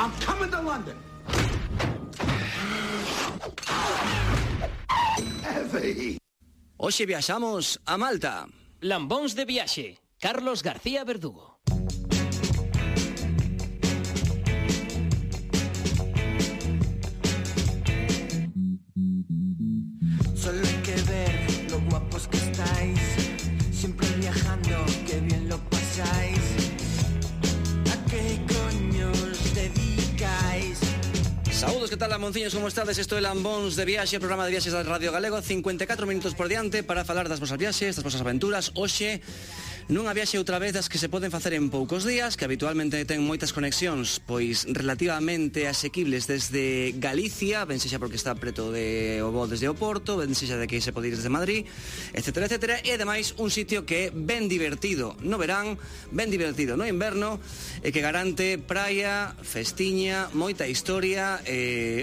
I'm coming to London. Heavy. Hoxe viaxamos a Malta. Lambóns de viaxe, Carlos García Verdugo. Solo hay que ver lo guapos que estáis, siempre viajando, qué bien lo pasáis. ¿A qué coño os dedicáis? Saúdos, que tal, lamonciños, como estades? Isto é Lambóns de Viaxe, programa de viaxes da Radio Galego. 54 minutos por diante para falar das vosas viaxes, das vosas aventuras. Hoxe, nunha viaxe outra vez das que se poden facer en poucos días, que habitualmente ten moitas conexións, pois relativamente asequibles desde Galicia, ben sexa porque está preto de o voo desde o Porto, ben sexa de que se pode ir desde Madrid, etcétera, etcétera, e ademais un sitio que é ben divertido no verán, ben divertido no inverno, e que garante praia, festiña, moita historia,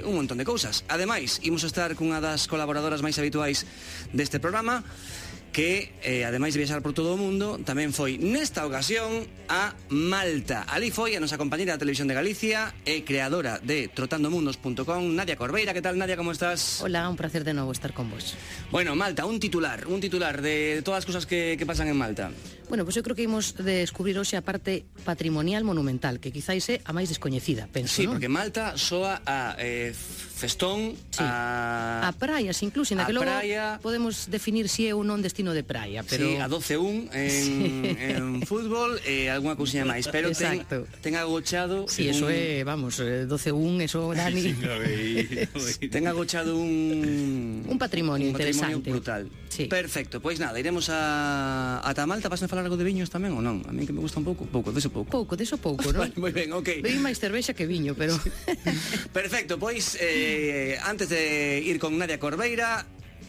un montón de cousas. Ademais, imos estar cunha das colaboradoras máis habituais deste programa, que, ademais de viaxar por todo o mundo, tamén foi nesta ocasión a Malta. Ali foi a nosa compañera da Televisión de Galicia e creadora de trotandomundos.com, Nadia Corbeira. Que tal, Nadia, como estás? Hola, un placer de novo estar con vos. Bueno, Malta, un titular de todas as cousas que pasan en Malta. Bueno, pues eu creo que imos descubrir hoxe a parte patrimonial monumental, que quizáis é a máis descoñecida, penso, sí, non? Porque Malta soa a festón, sí, a praias incluso, na que logo praia, podemos definir si é ou non destino de praia, pero... Sí, a 12-1 en fútbol e algunha cousinha máis, pero ten agochado... Sí, eso é, vamos, 12-1, eso, Dani... Ten agochado un patrimonio interesante. Brutal. Sí. Perfecto, pois nada, iremos a Malta. Vas a falar algo de viños tamén ou non? A mí que me gusta un pouco, deso pouco, non? Vale, moi ben, ok. Vei máis cervexa que viño, pero... Perfecto, pois antes de ir con Nadia Corbeira,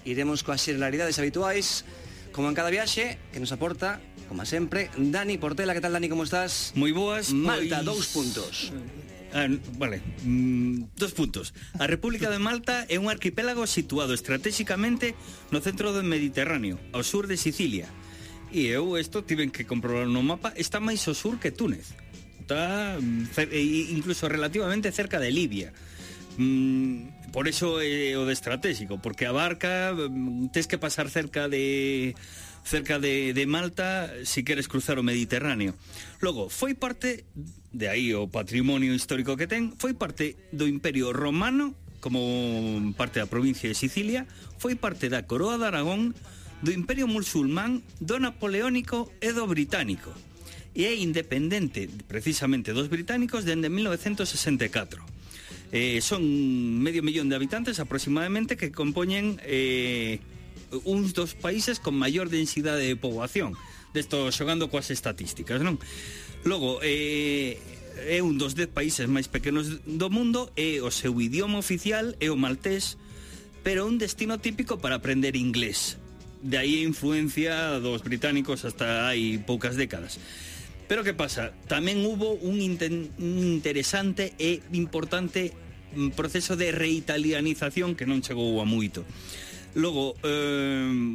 iremos coas xerlaridades habituais, como en cada viaxe, que nos aporta, como sempre, Dani Portela. Que tal, Dani, como estás? Moi boas. Malta, 2 puntos. Vale, 2 puntos. A República de Malta é un arquipélago situado estratégicamente no centro do Mediterráneo, ao sur de Sicilia. E eu isto tiven que comprobar no mapa, está máis ao sur que Túnez. Está incluso relativamente cerca de Libia. Por eso é o de estratégico, porque abarca, tes que pasar cerca de Malta si queres cruzar o Mediterráneo. Logo, foi parte, de aí o patrimonio histórico que ten, foi parte do Imperio Romano, como parte da provincia de Sicilia, foi parte da Coroa de Aragón, do Imperio Musulmán, do Napoleónico e do Británico. E é independente, precisamente, dos británicos dende 1964. Son medio millón de habitantes aproximadamente, que compoñen uns dos países con maior densidade de poboación. Desto xogando coas estatísticas, non? Logo, é un dos 10 países máis pequenos do mundo, e o seu idioma oficial é o maltés, pero un destino típico para aprender inglés. De aí a influencia dos británicos hasta hai poucas décadas. Pero que pasa? Tamén hubo un interesante e importante proceso de reitalianización que non chegou a moito. Logo,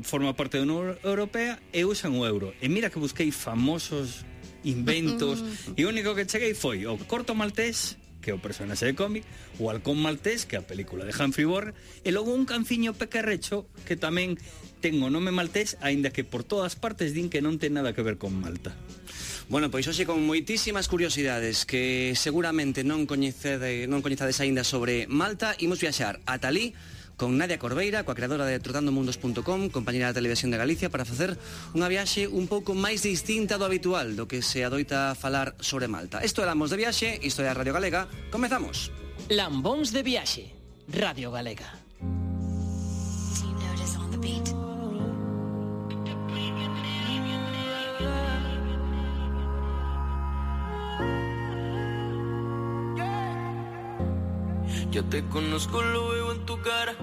forma parte da Unión Europea e usan o euro. E mira que busquei famosos inventos, e o único que cheguei foi o corto maltés, que é o personaxe de cómic, o halcón maltés, que é a película de Humphrey Bogart, e logo un canciño pequerrecho que tamén ten o nome maltés, aínda que por todas partes din que non ten nada que ver con Malta. Bueno, pois hoxe con moitísimas curiosidades que seguramente non coñezades aínda sobre Malta, imos viaxar a Talí con Nadia Corbeira, coa creadora de trotandomundos.com, compañera da Televisión de Galicia, para facer unha viaxe un pouco máis distinta do habitual, do que se adoita falar sobre Malta. Isto é Lambóns de Viaxe, isto é a Radio Galega. Comezamos. Lambóns de Viaxe, Radio Galega. Yo te conozco, lo veo en tu cara.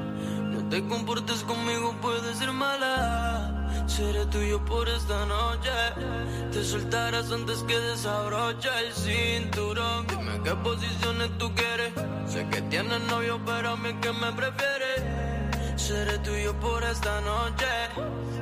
No te comportes conmigo, puedes ser mala. Seré tuyo por esta noche. Te soltarás antes que desabroche el cinturón. Dime qué posiciones tú quieres. Sé que tienes novio, pero a mí que me prefieres. Seré tuyo por esta noche.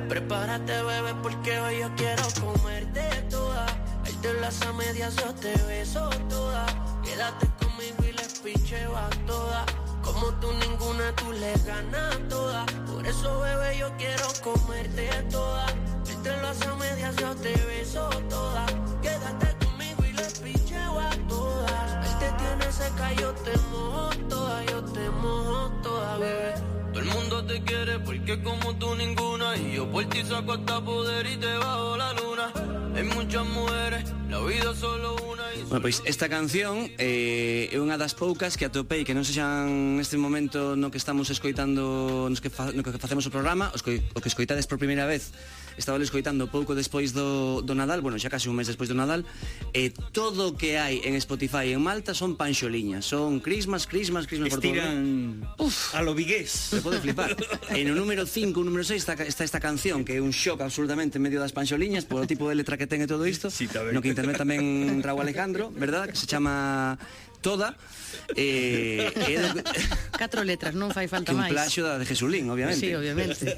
Prepárate, bebé, porque hoy yo quiero comerte toda. Ahí te las a medias, yo te beso toda. Quédate como conmigo y les picheo a todas. Como tú ninguna, tú le ganas a todas. Por eso, bebé, yo quiero comerte toda. Él te lo hace a medias, yo te beso toda. Quédate conmigo y les picheo a todas. Él te tiene seca, yo te mojo toda. Yo te mojo toda, bebé. Todo el mundo te quiere porque como tú ninguna. Y yo por ti saco hasta poder y te bajo la luna. Hay muchas mujeres, la vida solo una. Bueno, pois esta canción é unha das poucas que atopei que non sexan neste momento no que estamos escoitando no que facemos o programa, o que escoitades por primeira vez. Estaba escoitando pouco despois do Nadal, bueno, xa casi un mes despois do Nadal, e todo o que hai en Spotify en Malta son panxoliñas, son Christmas por todo. Estiran a lo vigués. Se pode flipar. E no número 5, número 6 está esta canción que é un shock absolutamente en medio das panxoliñas polo tipo de letra que ten e todo isto, sí, no que internet tamén Raúl Alejandro, verdad? Que se chama Toda. 4 letras, non fai falta máis. Que un plaxio da de Jesulín, obviamente. Sí, obviamente.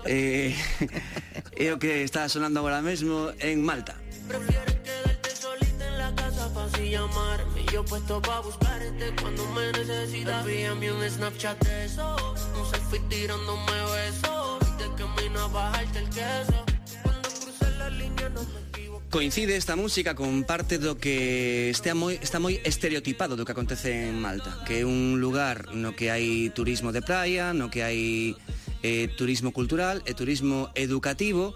É o que está sonando agora mesmo en Malta. Prefieres quedarte solita en la casa pa' así llamarme. Yo puesto pa' buscarte cuando me necesitas. Envíame un Snapchat de eso, un selfie tirándome besos. Y de camino a bajarte el queso. Cuando cruce la línea no me equivoco. Coincide esta música con parte do que está moi estereotipado do que acontece en Malta, que é un lugar no que hai turismo de praia, no que hai turismo cultural e turismo educativo,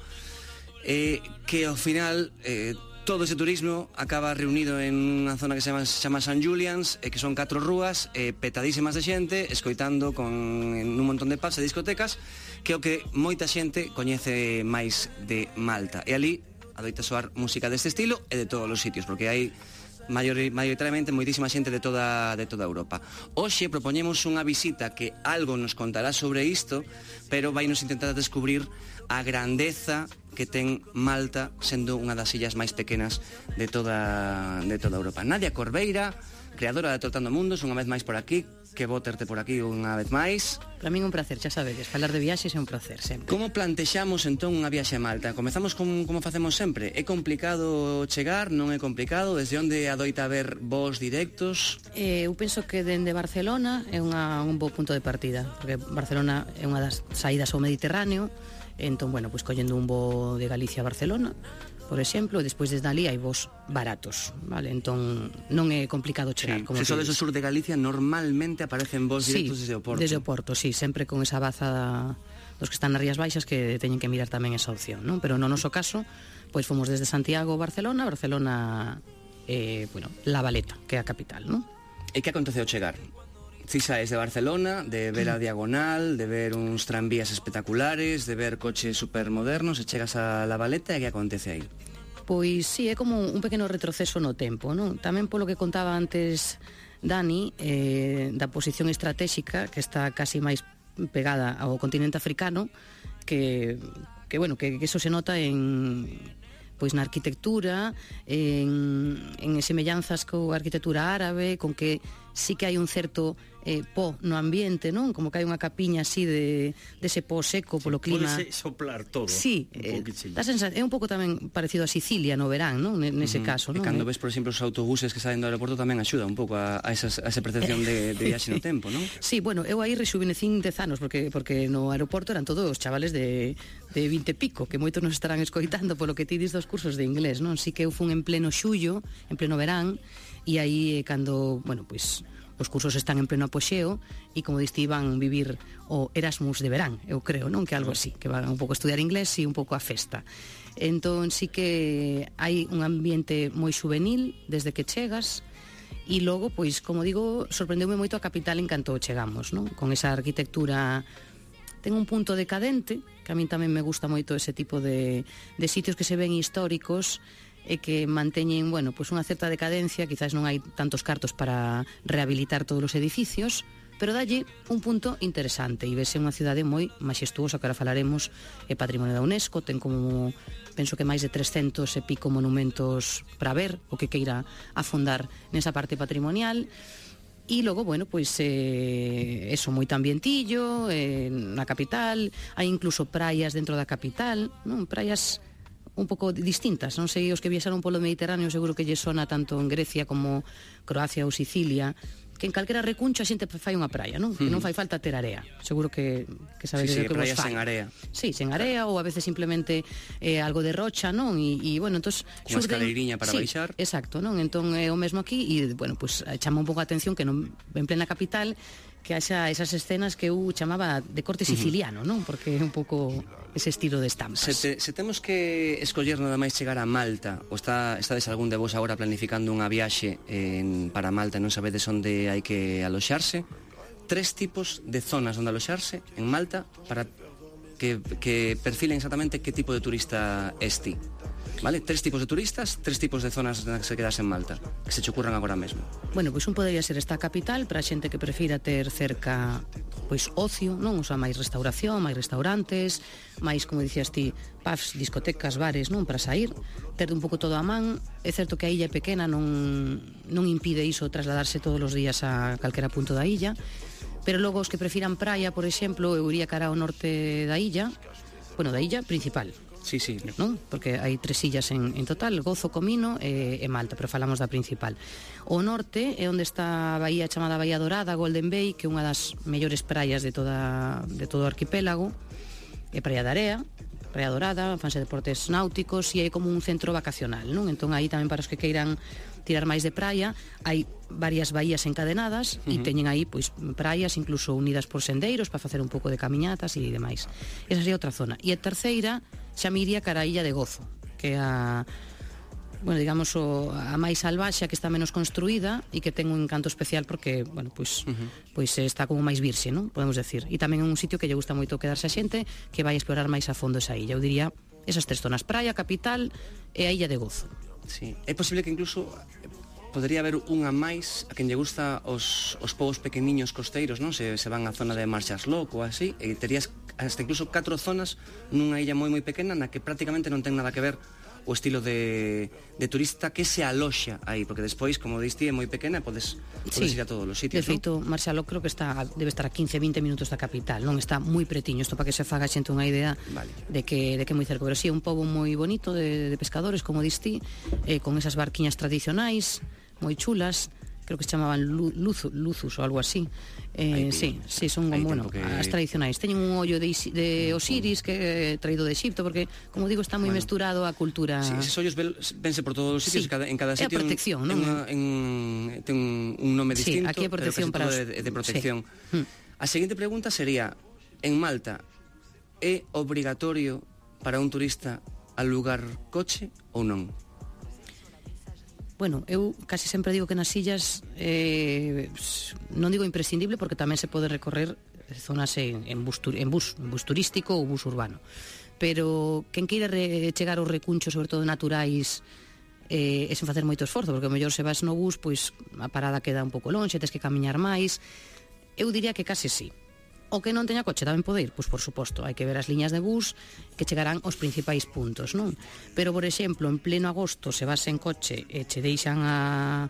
que ao final todo ese turismo acaba reunido en unha zona que se chama St. Julian's, que son 4 rúas petadísimas de xente, escoitando en un montón de pubs e discotecas, que é o que moita xente coñece máis de Malta. E ali adoita soar música deste estilo e de todos os sitios, porque hai maioritariamente moitísima xente de toda Europa. Hoxe propoñemos unha visita que algo nos contará sobre isto, pero vai nos intentar descubrir a grandeza que ten Malta sendo unha das illas máis pequenas de toda Europa. Nadia Corbeira, creadora de Trotando Mundos, unha vez máis por aquí. Que bo terte por aquí unha vez máis. Para min un placer, xa sabedes, falar de viaxes é un placer sempre. Como plantexamos entón unha viaxe a Malta? Comezamos como facemos sempre. É complicado chegar, non é complicado? Desde onde adoita haber voos directos? Eu penso que dende Barcelona é un bo punto de partida, porque Barcelona é unha das saídas ao Mediterráneo, entón, bueno, pois collendo un voo de Galicia a Barcelona, por exemplo, e despois desde ali hai voos baratos, vale? Entón non é complicado chegar, como se sodes o sur de Galicia, normalmente aparecen voos directos desde o Porto. Desde o Porto, sí, sempre con esa baza dos que están nas Rías Baixas que teñen que mirar tamén esa opción, non? Pero no noso caso, pois fomos desde Santiago a Barcelona, La Valeta, que é a capital, non? E que acontece ao chegar? Si saes de Barcelona, de ver a Diagonal, de ver uns tranvías espectaculares, de ver coches supermodernos, e chegas a La Valeta, e que acontece aí? Pois sí, é como un pequeno retroceso no tempo, non? Tamén polo que contaba antes Dani, da posición estratégica que está casi máis pegada ao continente africano, que eso se nota pois na arquitectura, en semellanzas coa arquitectura árabe, con que sí que hai un certo pó no ambiente, non? Como que hai unha capiña así dese pó seco polo clima. Pode soplar todo. Sí, é un pouco tamén parecido a Sicilia no verán, non? Nese caso, non? E cando ves, por exemplo, os autobuses que salen do aeroporto tamén axuda un pouco a esa percepción de viaxe no tempo, non? Sí, bueno, eu aí rexuvenecín 10 anos, porque no aeroporto eran todos os chavales de 20 e pico, que moitos nos estarán escoitando polo que ti dis dos cursos de inglés, non? Sí que eu fun en pleno xullo, en pleno verán, e aí cando, bueno, pois os cursos están en pleno apoxeo e como diste van vivir o Erasmus de verán, eu creo, non? Que algo así, que van un pouco a estudiar inglés e un pouco a festa. Entón sí que hai un ambiente moi juvenil desde que chegas, e logo, pois, como digo, sorprendeume moito a capital en canto chegamos, non? Con esa arquitectura ten un punto decadente, que a min tamén me gusta moito ese tipo de sitios que se ven históricos e que manteñen, bueno, pois unha certa decadencia, quizás non hai tantos cartos para rehabilitar todos os edificios, pero dalle un punto interesante e vese unha cidade moi maxestuosa, que ahora falaremos, é patrimonio da UNESCO, ten como, penso que máis de 300 e pico monumentos para ver, o que queira afondar nesa parte patrimonial. E logo, bueno, pois eso, moito ambientillo na capital, hai incluso praias dentro da capital, non? Praias un pouco distintas. Non sei, os que viaxaron polo Mediterráneo seguro que lle sona tanto en Grecia como Croacia ou Sicilia, que en calquera recuncho a xente fai unha praia, non? Que non fai falta ter area. Seguro que sabedes Sí, o que vos praias fai. sen area. Sí, sen area ou a veces simplemente algo de rocha, non? E bueno, entonces Cunha escaleiriña para baixar. Exacto, non? Entón é o mesmo aquí e bueno, pues chama un pouco a atención que non en plena capital que haxa esas escenas que eu chamaba de corte siciliano, non? Porque é un pouco ese estilo de estampas. Se temos que escoller nada máis chegar a Malta, ou estades algún de vos agora planificando unha viaxe para Malta e non sabedes onde hai que aloxarse, 3 tipos de zonas onde aloxarse en Malta para que perfilen exactamente que tipo de turista es ti. Vale? 3 tipos de turistas, 3 tipos de zonas nas que se quedas en Malta, que se che ocurran agora mesmo. Bueno, pois un podería ser esta capital para a xente que prefira ter cerca pois ocio, non? O sea, máis restauración, máis restaurantes, máis, como dicías ti, pubs, discotecas, bares, non? Para sair, ter un pouco todo a man. É certo que a illa é pequena, non impide iso trasladarse todos os días a calquera punto da illa, pero logo os que prefiran praia, por exemplo, eu iría cara ao norte da illa, bueno, da illa principal. Sí, Non? Porque hai 3 illas en total, Gozo, Comino e Malta, pero falamos da principal. O norte é onde está a bahía chamada Bahía Dorada, Golden Bay, que é unha das mellores praias de todo o arquipélago, é Praia de Area, Praia Dorada, fanse deportes náuticos e é como un centro vacacional, non? Entón aí tamén para os que queiran tirar máis de praia, hai varias bahías encadenadas e teñen aí pois praias incluso unidas por sendeiros para facer un pouco de camiñatas e demais. Esa sería outra zona. E a terceira xa me iría cara a Illa de Gozo, que é a digamos a máis salvaxe, que está menos construída e que ten un encanto especial porque, bueno, pois está como máis virxe, non? Podemos decir. E tamén é un sitio que lle gusta moito quedarse a xente que vai explorar máis a fondo esa illa. Eu diría esas 3 zonas, praia, capital e a Illa de Gozo. Sí. É posible que incluso podería haber unha máis a quen lle gusta os povos pequeniños costeiros, non? Se van á zona de Marshalllock ou así, e terías hasta incluso 4 zonas nunha illa moi pequena na que prácticamente non ten nada que ver o estilo de turista que se aloxa aí, porque despois, como diste, é moi pequena e podes ir a todos os sitios, de feito, non? Marshalllock creo que debe estar a 15-20 minutos da capital, non? Está moi pretiño, isto para que se faga xente unha idea de que é moi cerca, pero sí, é un pobo moi bonito de pescadores, como diste, con esas barquiñas tradicionais moi chulas, creo que se chamaban Luzus ou algo así. Sí, son como, bueno, as tradicionais. Teñen un ollo de Osiris que é traído de Egipto, porque, como digo, está moi mesturado a cultura. Sí, esos ollos vense por todos os sitios, en cada sitio. É a protección, non? Ten un nome distinto, aquí é protección pero casi todo de protección. A seguinte pregunta sería, en Malta, é obrigatorio para un turista alugar coche ou non? Bueno, eu casi sempre digo que nas illas non digo imprescindible porque tamén se pode recorrer zonas en bus turístico ou bus urbano, pero quen queira chegar aos recunchos, sobre todo naturais, e sen facer moito esforzo, porque o mellor se vas no bus, pois a parada queda un pouco lonxe, tes que camiñar máis. Eu diría que case sí. O que non teña coche tamén pode ir, pois por suposto, hai que ver as liñas de bus que chegarán aos principais puntos, non? Pero, por exemplo, en pleno agosto, se vas en coche e che deixan a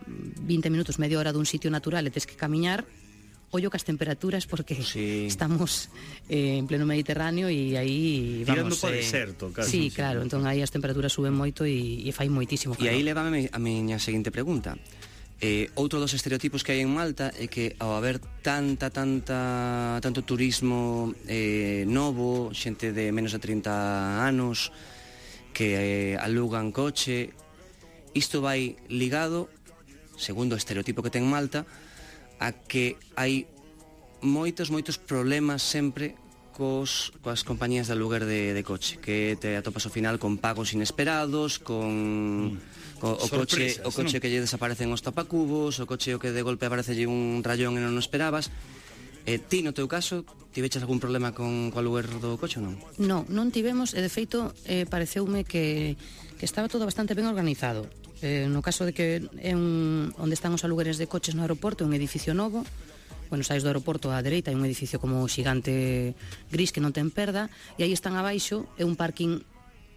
20 minutos, media hora dun sitio natural e tes que camiñar, ollo que as temperaturas, porque estamos en pleno Mediterráneo e aí tirando vamos... por deserto, casi. Sí, claro, entón aí as temperaturas suben moito e fai moitísimo calor. E aí levame a miña seguinte pregunta. Outro dos estereotipos que hai en Malta é que ao haber tanto turismo novo, xente de menos de 30 anos que alugan coche, isto vai ligado, segundo o estereotipo que ten Malta, a que hai moitos problemas sempre coas compañías de aluguer de coche, que te atopas ao final con pagos inesperados, con o coche que lle desaparecen os tapacubos, o coche o que de golpe aparecelle un rayón e non o esperabas. Ti, no teu caso, tiveches algún problema co aluguer do coche ou non? Non tivemos, e de feito pareceume que estaba todo bastante ben organizado. No caso de que onde están os alugueres de coches no aeroporto, un edificio novo, bueno, saís do aeroporto á dereita, hai un edificio como xigante gris que non ten perda, e aí están abaixo, é un parking,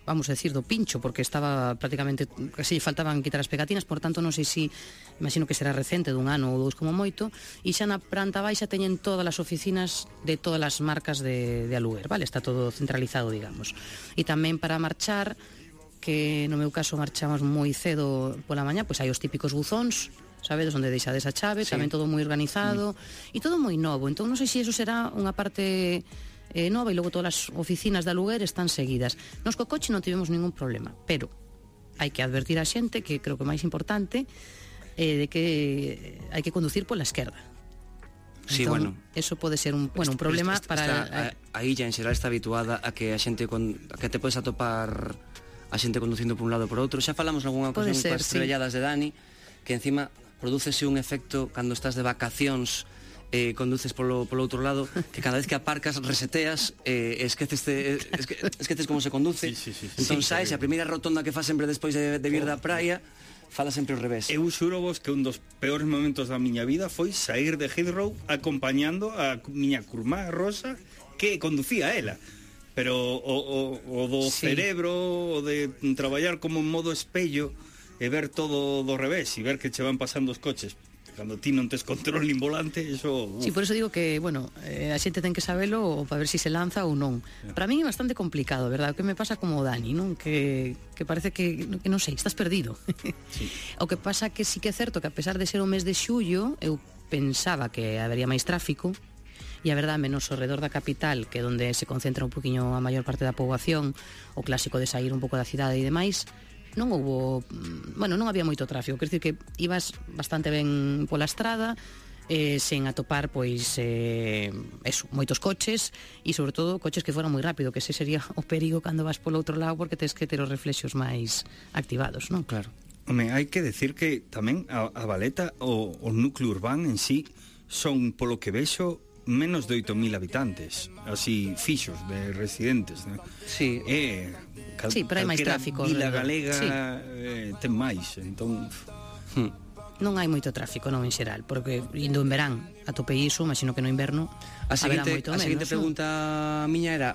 vamos a decir, do pincho, porque estaba prácticamente, casi faltaban quitar as pegatinas, por tanto non sei se, imagino que será recente, dun ano ou dous como moito, e xa na planta baixa teñen todas as oficinas de todas as marcas de aluguer, vale? Está todo centralizado, digamos. E tamén para marchar, que no meu caso marchamos moi cedo pola mañá, pois hai os típicos buzóns, sabedes, onde deixades a chave, Sí. tamén todo moi organizado e todo moi novo. Entón non sei se iso será unha parte nova e logo todas as oficinas de aluguer están seguidas. Nos co coche non tivemos ningún problema, pero hai que advertir a xente, que creo que o máis importante, de que hai que conducir pola esquerda. Sí, Entón, bueno. eso pode ser un problema para... A illa en xeral está habituada a que a xente a que te podes atopar a xente conducindo por un lado e por outro. Xa falamos nalgúna Pode ocasión ser, coas sí. estrelladas de Dani, que encima prodúcese un efecto cando estás de vacacións, conduces polo outro lado, que cada vez que aparcas reseteas, esqueces como se conduce. Sí. Entón saes, a primeira rotonda que fas sempre despois de vir da praia, fala sempre ao revés. Eu xuro vos que un dos peores momentos da miña vida foi sair de Heathrow acompañando a miña curmá Rosa, que conducía ela. Pero o do Sí. cerebro, o de traballar como en modo espello e ver todo do revés e ver que che van pasando os coches cando ti non tes control nin volante, eso... Sí, por eso digo que, bueno, a xente ten que sabelo para ver se se lanza ou non. Para min é bastante complicado, verdad? O que me pasa como o Dani, non? Que parece que non sei, estás perdido. Sí. O que pasa que sí que é certo que a pesar de ser o mes de xullo, eu pensaba que habería máis tráfico, e a verdade, menos ao redor da capital, que é onde se concentra un poquinho a maior parte da poboación, o clásico de sair un pouco da cidade e demais, non houbo, bueno, non había moito tráfico, quer dizer que ibas bastante ben pola estrada, sen atopar, pois, eso, moitos coches, e sobre todo coches que foran moi rápido, que ese sería o perigo cando vas polo outro lado, porque tens que ter os reflexos máis activados, non? Claro. Home, hai que decir que tamén a Valeta, o núcleo urbano en sí, son, polo que vexo, menos de 8.000 habitantes, así fixos de residentes, ¿no? Sí. Sí, pero hai máis calquera tráfico Vila alrededor. Galega Sí. ten máis, entón... Non hai moito tráfico, non, en xeral, porque indo en verán atopei iso, imagino que no inverno A haberá seguinte moito menos, non? pregunta miña era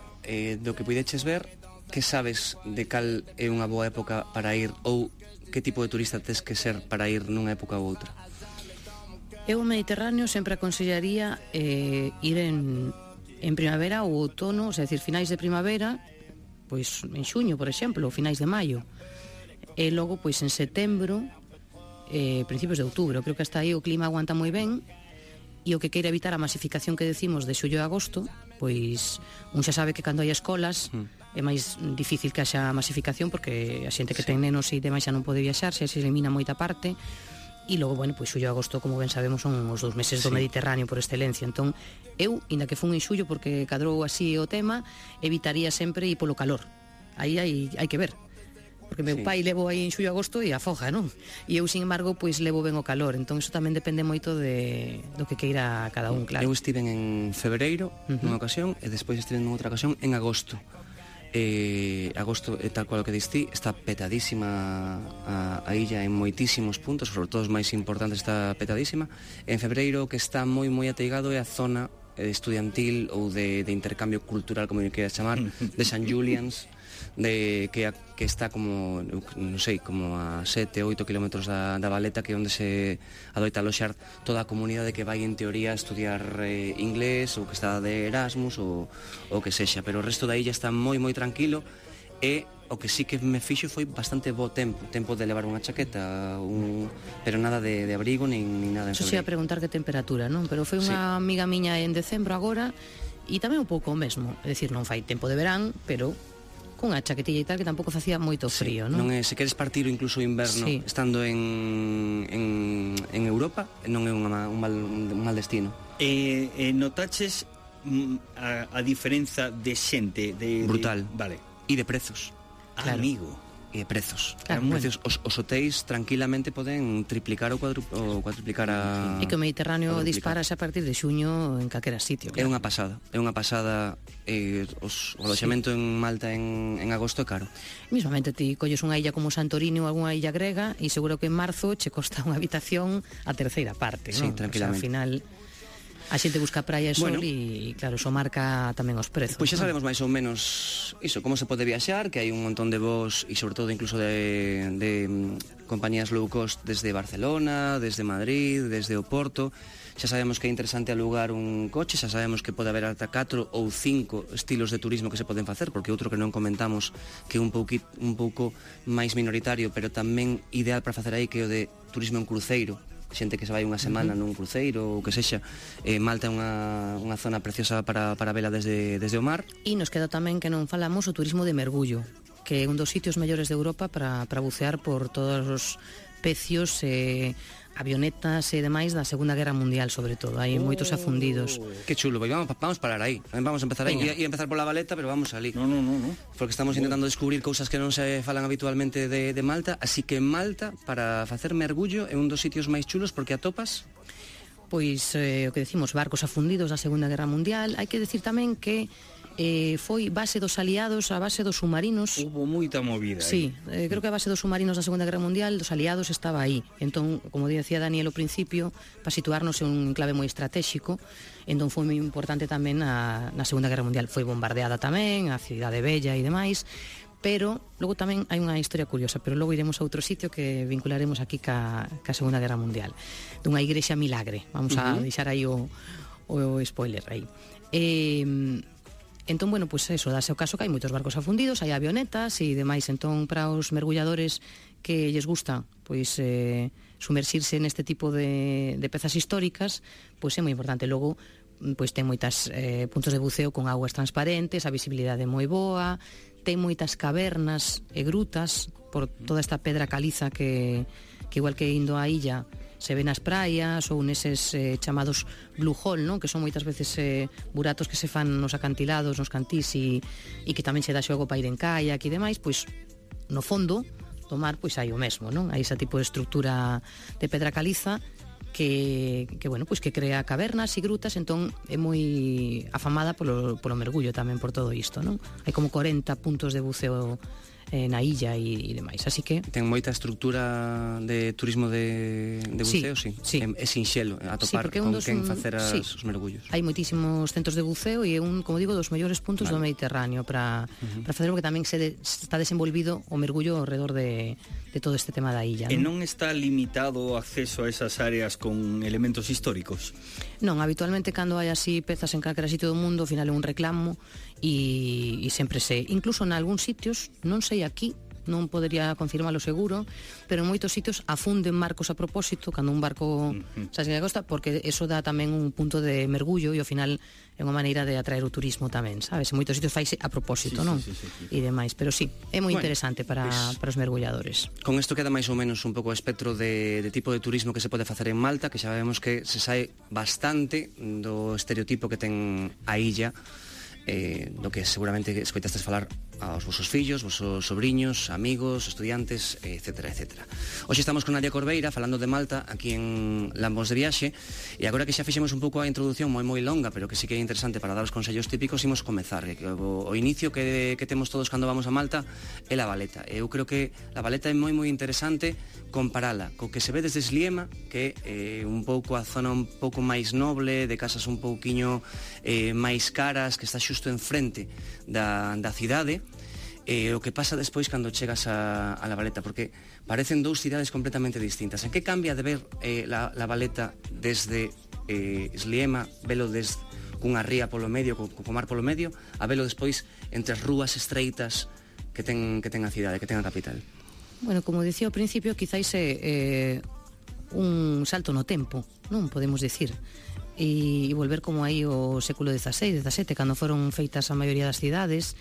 do que puideches ver, que sabes de cal é unha boa época para ir ou que tipo de turista tes que ser para ir nunha época ou outra? Eu o Mediterráneo sempre aconsellaría ir en primavera ou outono, é dicir, finais de primavera, pois en xuño, por exemplo, ou finais de maio. E logo, pois en setembro, principios de outubro. Creo que hasta aí o clima aguanta moi ben, e o que queira evitar a masificación que decimos de xullo e agosto, pois un xa sabe que cando hai escolas é máis difícil que haxa masificación, porque a xente que ten nenos e demais xa non pode viaxar, xa se elimina moita parte. E logo, bueno, pois xullo e agosto, como ben sabemos, son os 2 meses do Mediterráneo por excelencia. Entón, eu, inda que fun en xullo porque cadrou así o tema, evitaría sempre ir polo calor. Aí hai que ver. Porque meu pai levo aí en xullo e agosto e afoga, non? E eu, sin embargo, pois levo ben o calor. Entón, iso tamén depende moito do que queira cada un, claro. Eu estive en febreiro nunha ocasión e despois estive en outra ocasión en agosto. Agosto, tal cual o que diste, está petadísima a illa en moitísimos puntos, sobre todo os máis importantes está petadísima. En febreiro o que está moi ateigado é a zona estudiantil ou de intercambio cultural, como eu queira chamar, de St. Julian's, que está como, non sei, como a 7-8 kilómetros da Valeta, que é onde se adoita aloxar toda a comunidade que vai en teoría a estudiar inglés ou que está de Erasmus ou que sexa, pero o resto da illa está moi tranquilo. E o que sí que me fixo foi bastante bo tempo de levar unha chaqueta, pero nada de abrigo nin nada en Eso se ia febreiro. preguntar que temperatura, non? Pero foi unha amiga miña en decembro agora, e tamén un pouco o mesmo, é dicir, non fai tempo de verán, pero cunha chaquetilla e tal, que tampouco facía moito frío, non? Non é, se queres partir incluso o inverno estando en Europa, non é un mal destino. Notaches a diferenza de xente brutal. Vale. E de prezos. Claro. Amigo. E de prezos. Claro, Prezos, os hotéis tranquilamente poden triplicar ou cuadruplicar a... E que o Mediterráneo cuadruplicar. disparase a partir de xuño en calquera sitio, É claro. unha pasada. O aloxamento en Malta en agosto é caro. Mismamente ti colles unha illa como Santorini ou algunha illa grega e seguro que en marzo che costa unha habitación a terceira parte, Sí, non? tranquilamente. O sea, ao final A xente busca praia e sol Bueno. e claro, eso marca tamén os prezos. Pois xa non? sabemos máis ou menos iso, como se pode viaxar, que hai un montón de voos e sobre todo incluso de compañías low cost desde Barcelona, desde Madrid, desde o Porto. Xa sabemos que é interesante alugar un coche, xa sabemos que pode haber ata 4 ou 5 estilos de turismo que se poden facer, porque outro que non comentamos que é un pouco máis minoritario, pero tamén ideal para facer aí, que é o de turismo en cruceiro, xente que se vai unha semana nun cruceiro ou que sexa. Malta é unha zona preciosa para vela desde o mar. E nos queda tamén que non falamos o turismo de mergullo, que é un dos sitios mellores de Europa para bucear por todos os pecios, avionetas e demais da Segunda Guerra Mundial, sobre todo. Hai moitos afundidos. Que chulo, pois vamos parar aí. Vamos a empezar aí. Veña. E empezar pola Valeta, pero vamos ali. No. Porque estamos intentando descubrir cousas que non se falan habitualmente de Malta, así que Malta, para facer mergullo, é un dos sitios máis chulos porque atopas. Pois o que decimos, barcos afundidos da Segunda Guerra Mundial. Hai que decir tamén que foi base dos aliados, a base dos submarinos. Hubo moita movida Sí, creo que a base dos submarinos da Segunda Guerra Mundial, dos aliados, estaba aí. Entón, como dicía Daniel ao principio, para situarnos en un enclave moi estratégico, entón foi moi importante tamén na Segunda Guerra Mundial. Foi bombardeada tamén, a Cidade Bella e demais, pero logo tamén hai unha historia curiosa, pero logo iremos a outro sitio que vincularemos aquí ca Segunda Guerra Mundial, dunha igrexa milagre. Vamos a deixar aí o spoiler aí. Entón, bueno, pois eso, dase o caso que hai moitos barcos afundidos, hai avionetas e demais, entón para os mergulladores que lles gusta pois sumerxirse neste tipo de pezas históricas, pois é moi importante. Logo, pois ten moitas puntos de buceo con aguas transparentes, a visibilidade moi boa, ten moitas cavernas e grutas por toda esta pedra caliza que igual que indo á illa se ven nas praias ou neses chamados blue hole, non? Que son moitas veces buratos que se fan nos acantilados, nos cantís e que tamén se dá xogo para ir en kayak e demais, pois no fondo do mar pois hai o mesmo, non? Hai ese tipo de estrutura de pedra caliza que bueno, pois que crea cavernas e grutas, entón é moi afamada polo mergullo tamén por todo isto, non? Hai como 40 puntos de buceo na illa e demais, así que Ten moita estrutura de turismo de buceo, sí. É sinxelo atopar con quen facer os mergullos. Hai moitísimos centros de buceo e é un, como digo, dos mellores puntos do Mediterráneo para facer, porque tamén está desenvolvido o mergullo ao redor de todo este tema da illa. E non está limitado o acceso a esas áreas con elementos históricos? Non, habitualmente cando hai así pezas en calquera sitio do mundo, ao final é un reclamo e sempre incluso en algúns sitios, non sei aquí, non podería confirmalo seguro, pero en moitos sitios afunden barcos a propósito cando un barco xa se costa, porque eso dá tamén un punto de mergullo e ao final é unha maneira de atraer o turismo tamén, sabes? En moitos sitios faise a propósito, non? Sí. E demais, pero sí, é moi interesante para os mergulladores. Con isto queda máis ou menos un pouco o espectro de tipo de turismo que se pode facer en Malta, que xa sabemos que se sae bastante do estereotipo que ten a illa, do que seguramente escoitastes falar aos vosos fillos, vosos sobriños, amigos, estudiantes, etcétera, etcétera. Hoxe estamos con Nadia Corbeira falando de Malta aquí en Lambóns de Viaxe, e agora que xa fixemos un pouco a introducción moi longa, pero que sí que é interesante para dar os consellos típicos, imos comezar. O inicio que temos todos cando vamos a Malta é La Valeta. Eu creo que La Valeta é moi interesante comparala co que se ve desde Sliema, que é un pouco a zona un pouco máis noble, de casas un pouquiño máis caras, que está xusto enfrente da cidade, o que pasa despois cando chegas a La Valeta, porque parecen dous cidades completamente distintas. En que cambia de ver La Valeta desde Sliema, velo cunha ría polo medio, co mar polo medio, a velo despois entre as rúas estreitas que ten a cidade, que ten a capital? Bueno, como dicía ao principio, quizáis é un salto no tempo, non podemos dicir, e volver como aí o século XVI, XVII, cando foron feitas a maioría das cidades,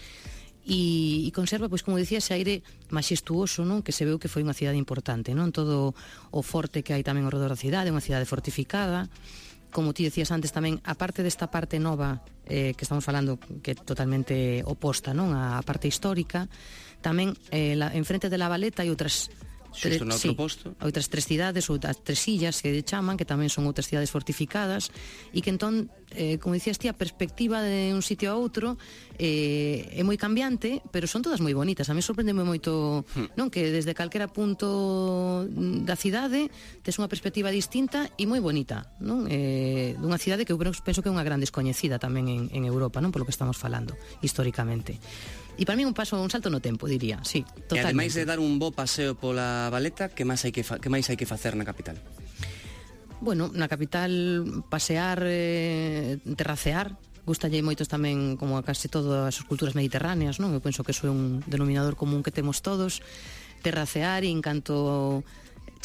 e conserva, pois como dicía, ese aire maxestuoso, non? Que se veu que foi unha cidade importante, non? Todo o forte que hai tamén ao redor da cidade, unha cidade fortificada. Como ti decías antes tamén, a parte desta parte nova que estamos falando, que é totalmente oposta, non? A parte histórica, tamén enfrente de La Valeta hai outras xusto no outro posto. Outras 3 cidades ou as 3 illas que chaman, que tamén son outras cidades fortificadas, e que entón, como dicías ti, a perspectiva de un sitio a outro é moi cambiante, pero son todas moi bonitas. A mí sorprendeme moito, non, que desde calquera punto da cidade tes unha perspectiva distinta e moi bonita, non? Dunha cidade que eu penso que é unha gran descoñecida tamén en Europa, non, polo que estamos falando históricamente. E para mí un salto no tempo, diría, sí, totalmente. E ademais de dar un bo paseo pola Valeta, que máis hai que facer na capital? Bueno, na capital pasear, terracear, gustalle moitos tamén, como a case todas as culturas mediterráneas, non? Eu penso que iso é un denominador común que temos todos, terracear, e en canto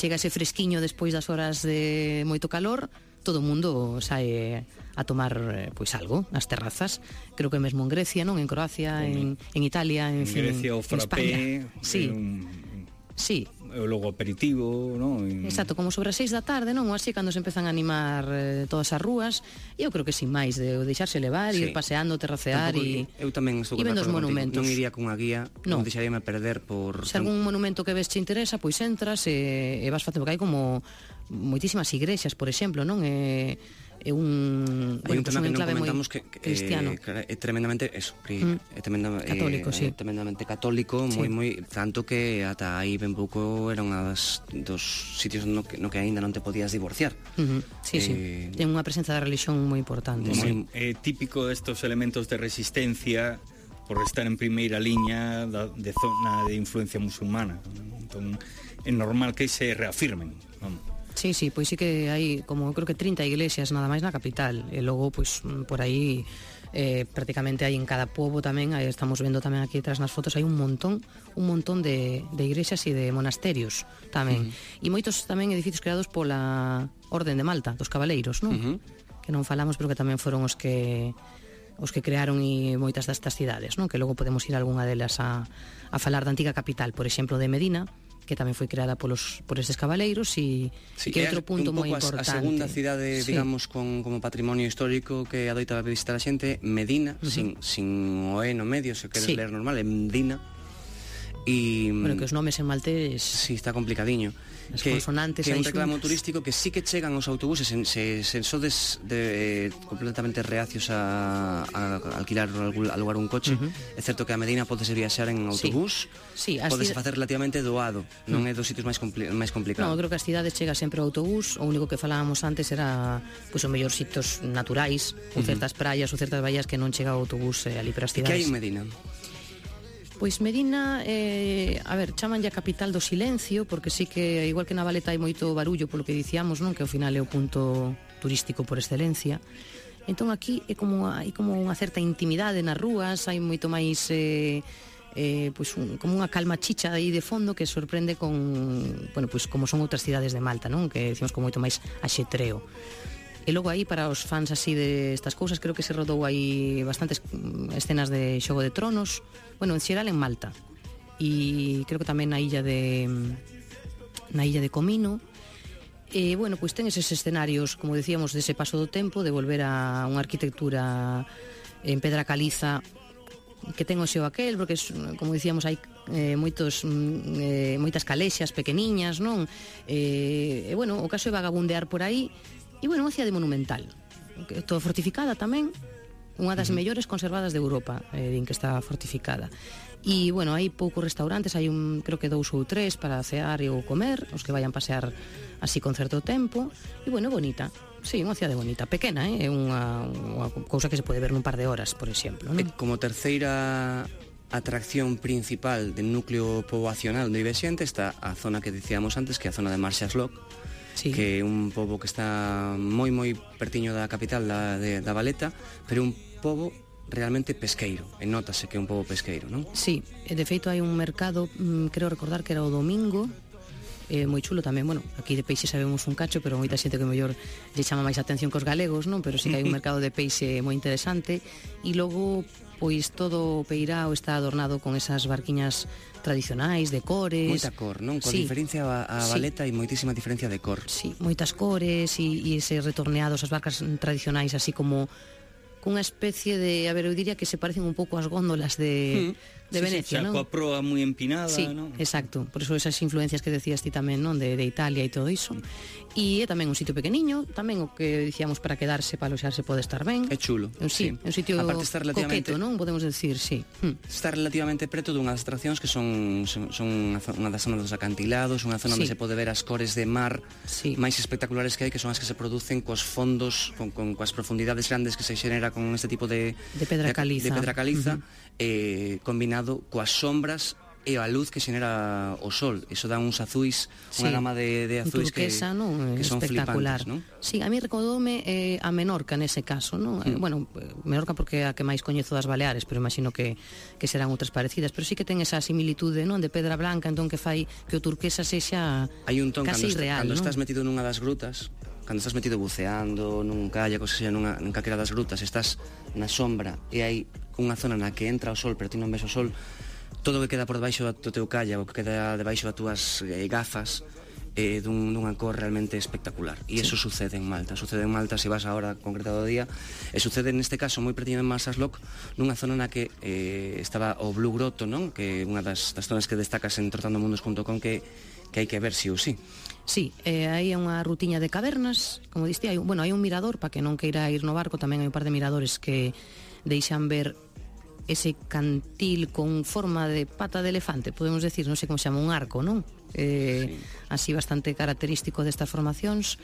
chega ese fresquiño despois das horas de moito calor, todo o mundo sae a tomar pois algo nas terrazas. Creo que mesmo en Grecia, non? En Croacia, en Italia, en fin, Grecia o frappé, sí. Sí. O logo aperitivo, non? Exacto, como sobre as 6 da tarde, non? Así cando se empezan a animar todas as rúas, e eu creo que sin máis de deixarse levar, ir paseando, terracear e eu tamén estou vendo os monumentos. Non iría cunha guía, non deixaríame perder por... Se algún monumento que ves te interesa, pois entras e vas facendo, porque hai como moitísimas igrexas, por exemplo, non? É un tema que non comentamos que cristiano. É tremendamente eso, é tremendamente católico, sí. Tremendamente católico, moi tanto que ata aí ben pouco era unha dos sitios no que aínda non te podías divorciar. Sí. Ten unha presenza da religión moi importante. É típico estos elementos de resistencia por estar en primeira liña de zona de influencia musulmana. Entón, é normal que se reafirmen, vamos. Sí, pois sí que hai como creo que 30 iglesias nada máis na capital, e logo pois por aí prácticamente hai en cada pobo tamén, aí estamos vendo tamén aquí detrás nas fotos, hai un montón de iglesias e de monasterios tamén, e moitos tamén edificios creados pola Orden de Malta, dos cabaleiros, non? Que non falamos, pero que tamén foron os que crearon e moitas destas cidades, non? Que logo podemos ir a algunha delas a falar da antiga capital, por exemplo, de Medina, que tamén foi creada por estes cabaleiros, e que é outro punto moi importante. A segunda cidade, digamos, como patrimonio histórico que adoita visitar a xente, Medina, sin o E no medio, se queres ler normal, é Medina. Bueno, que os nomes en maltés... Sí, está complicadiño. As consonantes que é un reclamo turístico que sí que chegan os autobuses se sodes completamente reacios a alquilar ou alugar un coche. É certo que a Medina pode ser viaxar en autobús, podese facer relativamente doado, non é dos sitios máis complicados. Non, eu creo que as cidades chega sempre o autobús. O único que falábamos antes era pois os mellores sitios naturais, ou certas praias ou certas baías que non chega o autobús ali para as cidades. E que hai en Medina? Pois Medina, a ver, chaman ya capital do silencio, porque sí que, igual que na Valeta hai moito barullo polo que dicíamos, non? Que ao final é o punto turístico por excelencia. Entón aquí hai como unha certa intimidade nas rúas, hai moito máis como unha calma chicha aí de fondo que sorprende con, bueno, pois como son outras cidades de Malta, non? Que decimos con moito máis axetreo. E logo aí, para os fans así de estas cousas, creo que se rodou aí bastantes escenas de Xogo de Tronos, bueno, en xeral en Malta, e creo que tamén na illa de Comino. E, bueno, pois ten eses escenarios, como decíamos, dese paso do tempo, de volver a unha arquitectura en pedra caliza que ten o xeo aquel, porque, como dicíamos, hai moitas calexas pequeniñas, non? E, bueno, o caso é vagabundear por aí. E, bueno, unha cidade monumental, toda fortificada tamén, unha das mellores conservadas de Europa, din que está fortificada. E, bueno, hai poucos restaurantes, hai creo que 2 ou 3 para cear ou comer, os que vayan pasear así con certo tempo. E, bueno, bonita. Sí, unha cidade bonita, pequena, é unha cousa que se pode ver nun par de horas, por exemplo, non? Como terceira atracción principal del núcleo poboacional onde vive xente está a zona que dicíamos antes, que é a zona de Marshall's Lock, que é un pobo que está moi pertiño da capital da Valeta, pero un pobo realmente pesqueiro, e notase que é un pobo pesqueiro, non? Sí, de feito hai un mercado, creo recordar que era o domingo, moi chulo tamén, bueno, aquí de peixe sabemos un cacho, pero moita xente que mellor lle chama máis atención que os galegos, non? Pero sí que hai un mercado de peixe moi interesante, e logo pois todo o peirao está adornado con esas barquiñas tradicionais, de cores. Moita cor, non? Con diferencia a Valeta hai moitísima diferencia de cor. Sí, moitas cores e ese retorneados, as barcas tradicionais, así como cunha especie de, a ver, eu diría que se parecen un pouco ás góndolas de de Venecia, non? Coa proa moi empinada, Sí, non? exacto. Por eso esas influencias que decías ti tamén, non? De Italia e todo iso. E é tamén un sitio pequeniño, tamén o que dicíamos para quedarse, para aloxarse pode estar ben. É chulo. Sí, é un sitio Aparte está relativamente coqueto, non? Podemos decir, sí. Está relativamente preto dunha das atraccións que son unha das zonas dos acantilados, unha zona Sí. onde se pode ver as cores de mar Sí. máis espectaculares que hai, que son as que se producen cos fondos, coas profundidades grandes que se xenera con este tipo de pedra caliza. de pedra caliza, combinado coas sombras e a luz que xenera o sol. Iso dá uns azuis, unha gama de azuis turquesa, que son espectacular. flipantes, non? Sí, a mí recordoume a Menorca nese caso, non? Bueno, Menorca porque é a que máis coñezo das Baleares, pero imagino que serán outras parecidas, pero sí que ten esa similitude, non? De pedra blanca, entón que fai que o turquesa sexa Hai un ton casi cando irreal, non? estás metido nunha das grutas, cando estás metido buceando nun kayak, ou seja, nunha calquera das grutas, estás na sombra e hai unha zona na que entra o sol, pero ti non ves o sol, todo o que queda por debaixo do teu kayak, o que queda debaixo das túas gafas, dunha cor realmente espectacular. E iso sucede en Malta. Sucede en Malta, se vas ahora concretado do día, e sucede neste caso moi pretiño en Marsaxlokk, nunha zona na que estaba o Blue Grotto, non? Que é unha das zonas que destacas en trotandomundos.com que hai que ver si ou si. Sí, aí é unha rutiña de cavernas, como diste, hai un mirador, para que non queira ir no barco, tamén hai un par de miradores que deixan ver ese cantil con forma de pata de elefante, podemos decir, non sei como se chama, un arco, non? Sí. Así bastante característico destas formacións.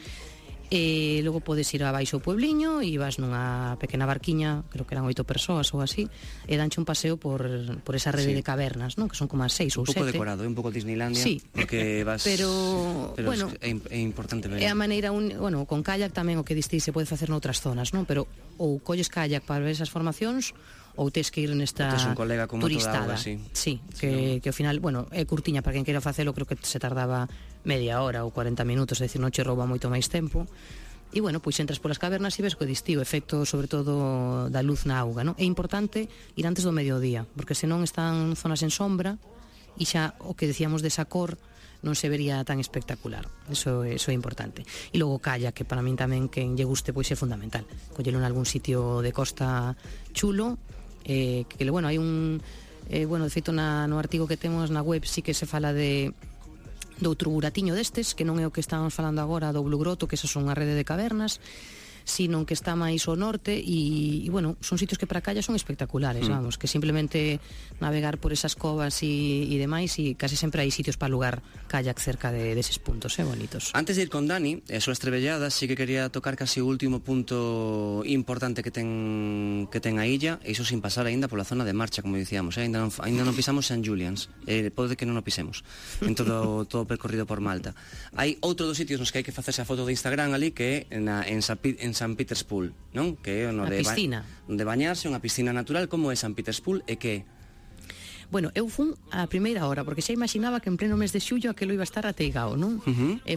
E logo podes ir abaixo ao puebliño e vas nunha pequena barquiña, creo que eran 8 persoas ou así, e danche un paseo por esa rede de cavernas, non? Que son como as 6 ou 7. Un pouco decorado, un pouco Disneylandia, sí. Porque vas... pero bueno, é importante ver. É a maneira, con kayak tamén o que diste se pode facer noutras zonas, non? Pero ou colles kayak para ver esas formacións ou tes que ir nesta un colega con turistada. Auga, sí. Sí, que ao final, é curtiña para quen queira facelo, creo que se tardaba media hora ou 40 minutos, é dicir, non che rouba moito máis tempo. E pois entras polas cavernas e ves que distí o efecto sobre todo da luz na auga, non? É importante ir antes do mediodía, porque senón están zonas en sombra e xa o que decíamos desa cor non se vería tan espectacular. Eso é importante. E logo kayak, que para min tamén quen lle guste pois é fundamental. Collelo en algún sitio de costa chulo, que hai un de feito no artigo que temos na web sí que se fala do outro buratiño destes, que non é o que estábamos falando agora do Blue Grotto, que esas son unha rede de cavernas, sino que está máis ao norte e son sitios que para calla son espectaculares, vamos, que simplemente navegar por esas covas e demais, e casi sempre hai sitios para alugar kayak cerca deses puntos, bonitos. Antes de ir con Dani, as súas trebelladas, sí que quería tocar casi o último punto importante que ten a illa, e iso sin pasar aínda pola zona de marcha, como dicíamos, aínda non pisamos St. Julian's, pode que non o pisemos en todo o percorrido por Malta. Hai outro dos sitios nos que hai que facerse a foto de Instagram ali, que é en St. Peter's Pool, non? Que é a piscina. Onde bañarse, unha piscina natural. Como é St. Peter's Pool e que? Bueno, eu fun a primeira hora, porque xa imaginaba que en pleno mes de xullo aquilo iba a estar ateigao, non?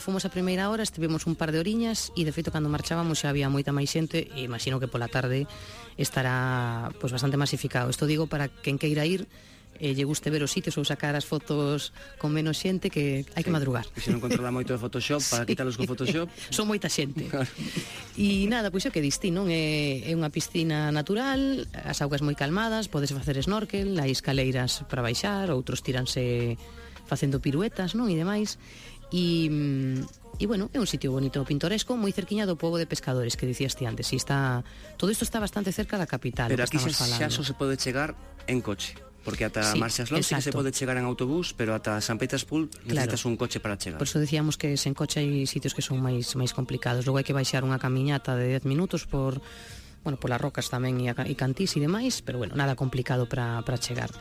Fomos a primeira hora, estivemos un par de oriñas e de feito cando marchábamos xa había moita máis xente e imagino que pola tarde estará pois bastante masificado. Isto digo para quen queira ir lle guste ver os sitios ou sacar as fotos con menos xente, que hai que madrugar. E se non controla moito de Photoshop, para quitalos con Photoshop. Son moita xente. E nada, pois é o que diste, non? É unha piscina natural, as augas moi calmadas, podes facer snorkel, hai escaleiras para baixar, outros tíranse facendo piruetas, non? E demais. E é un sitio bonito, pintoresco, moi cerquiña do pobo de pescadores que dicías ti antes. E todo isto está bastante cerca da capital. Pero aquí xa só se pode chegar en coche. Porque ata Marsaxlokk sí que se pode chegar en autobús, pero ata St. Peter's Pool necesitas un coche para chegar. Por eso decíamos que sen coche hai sitios que son máis complicados. Logo hai que baixar unha camiñata de 10 minutos polas rocas tamén e cantís e demais, pero nada complicado para chegar.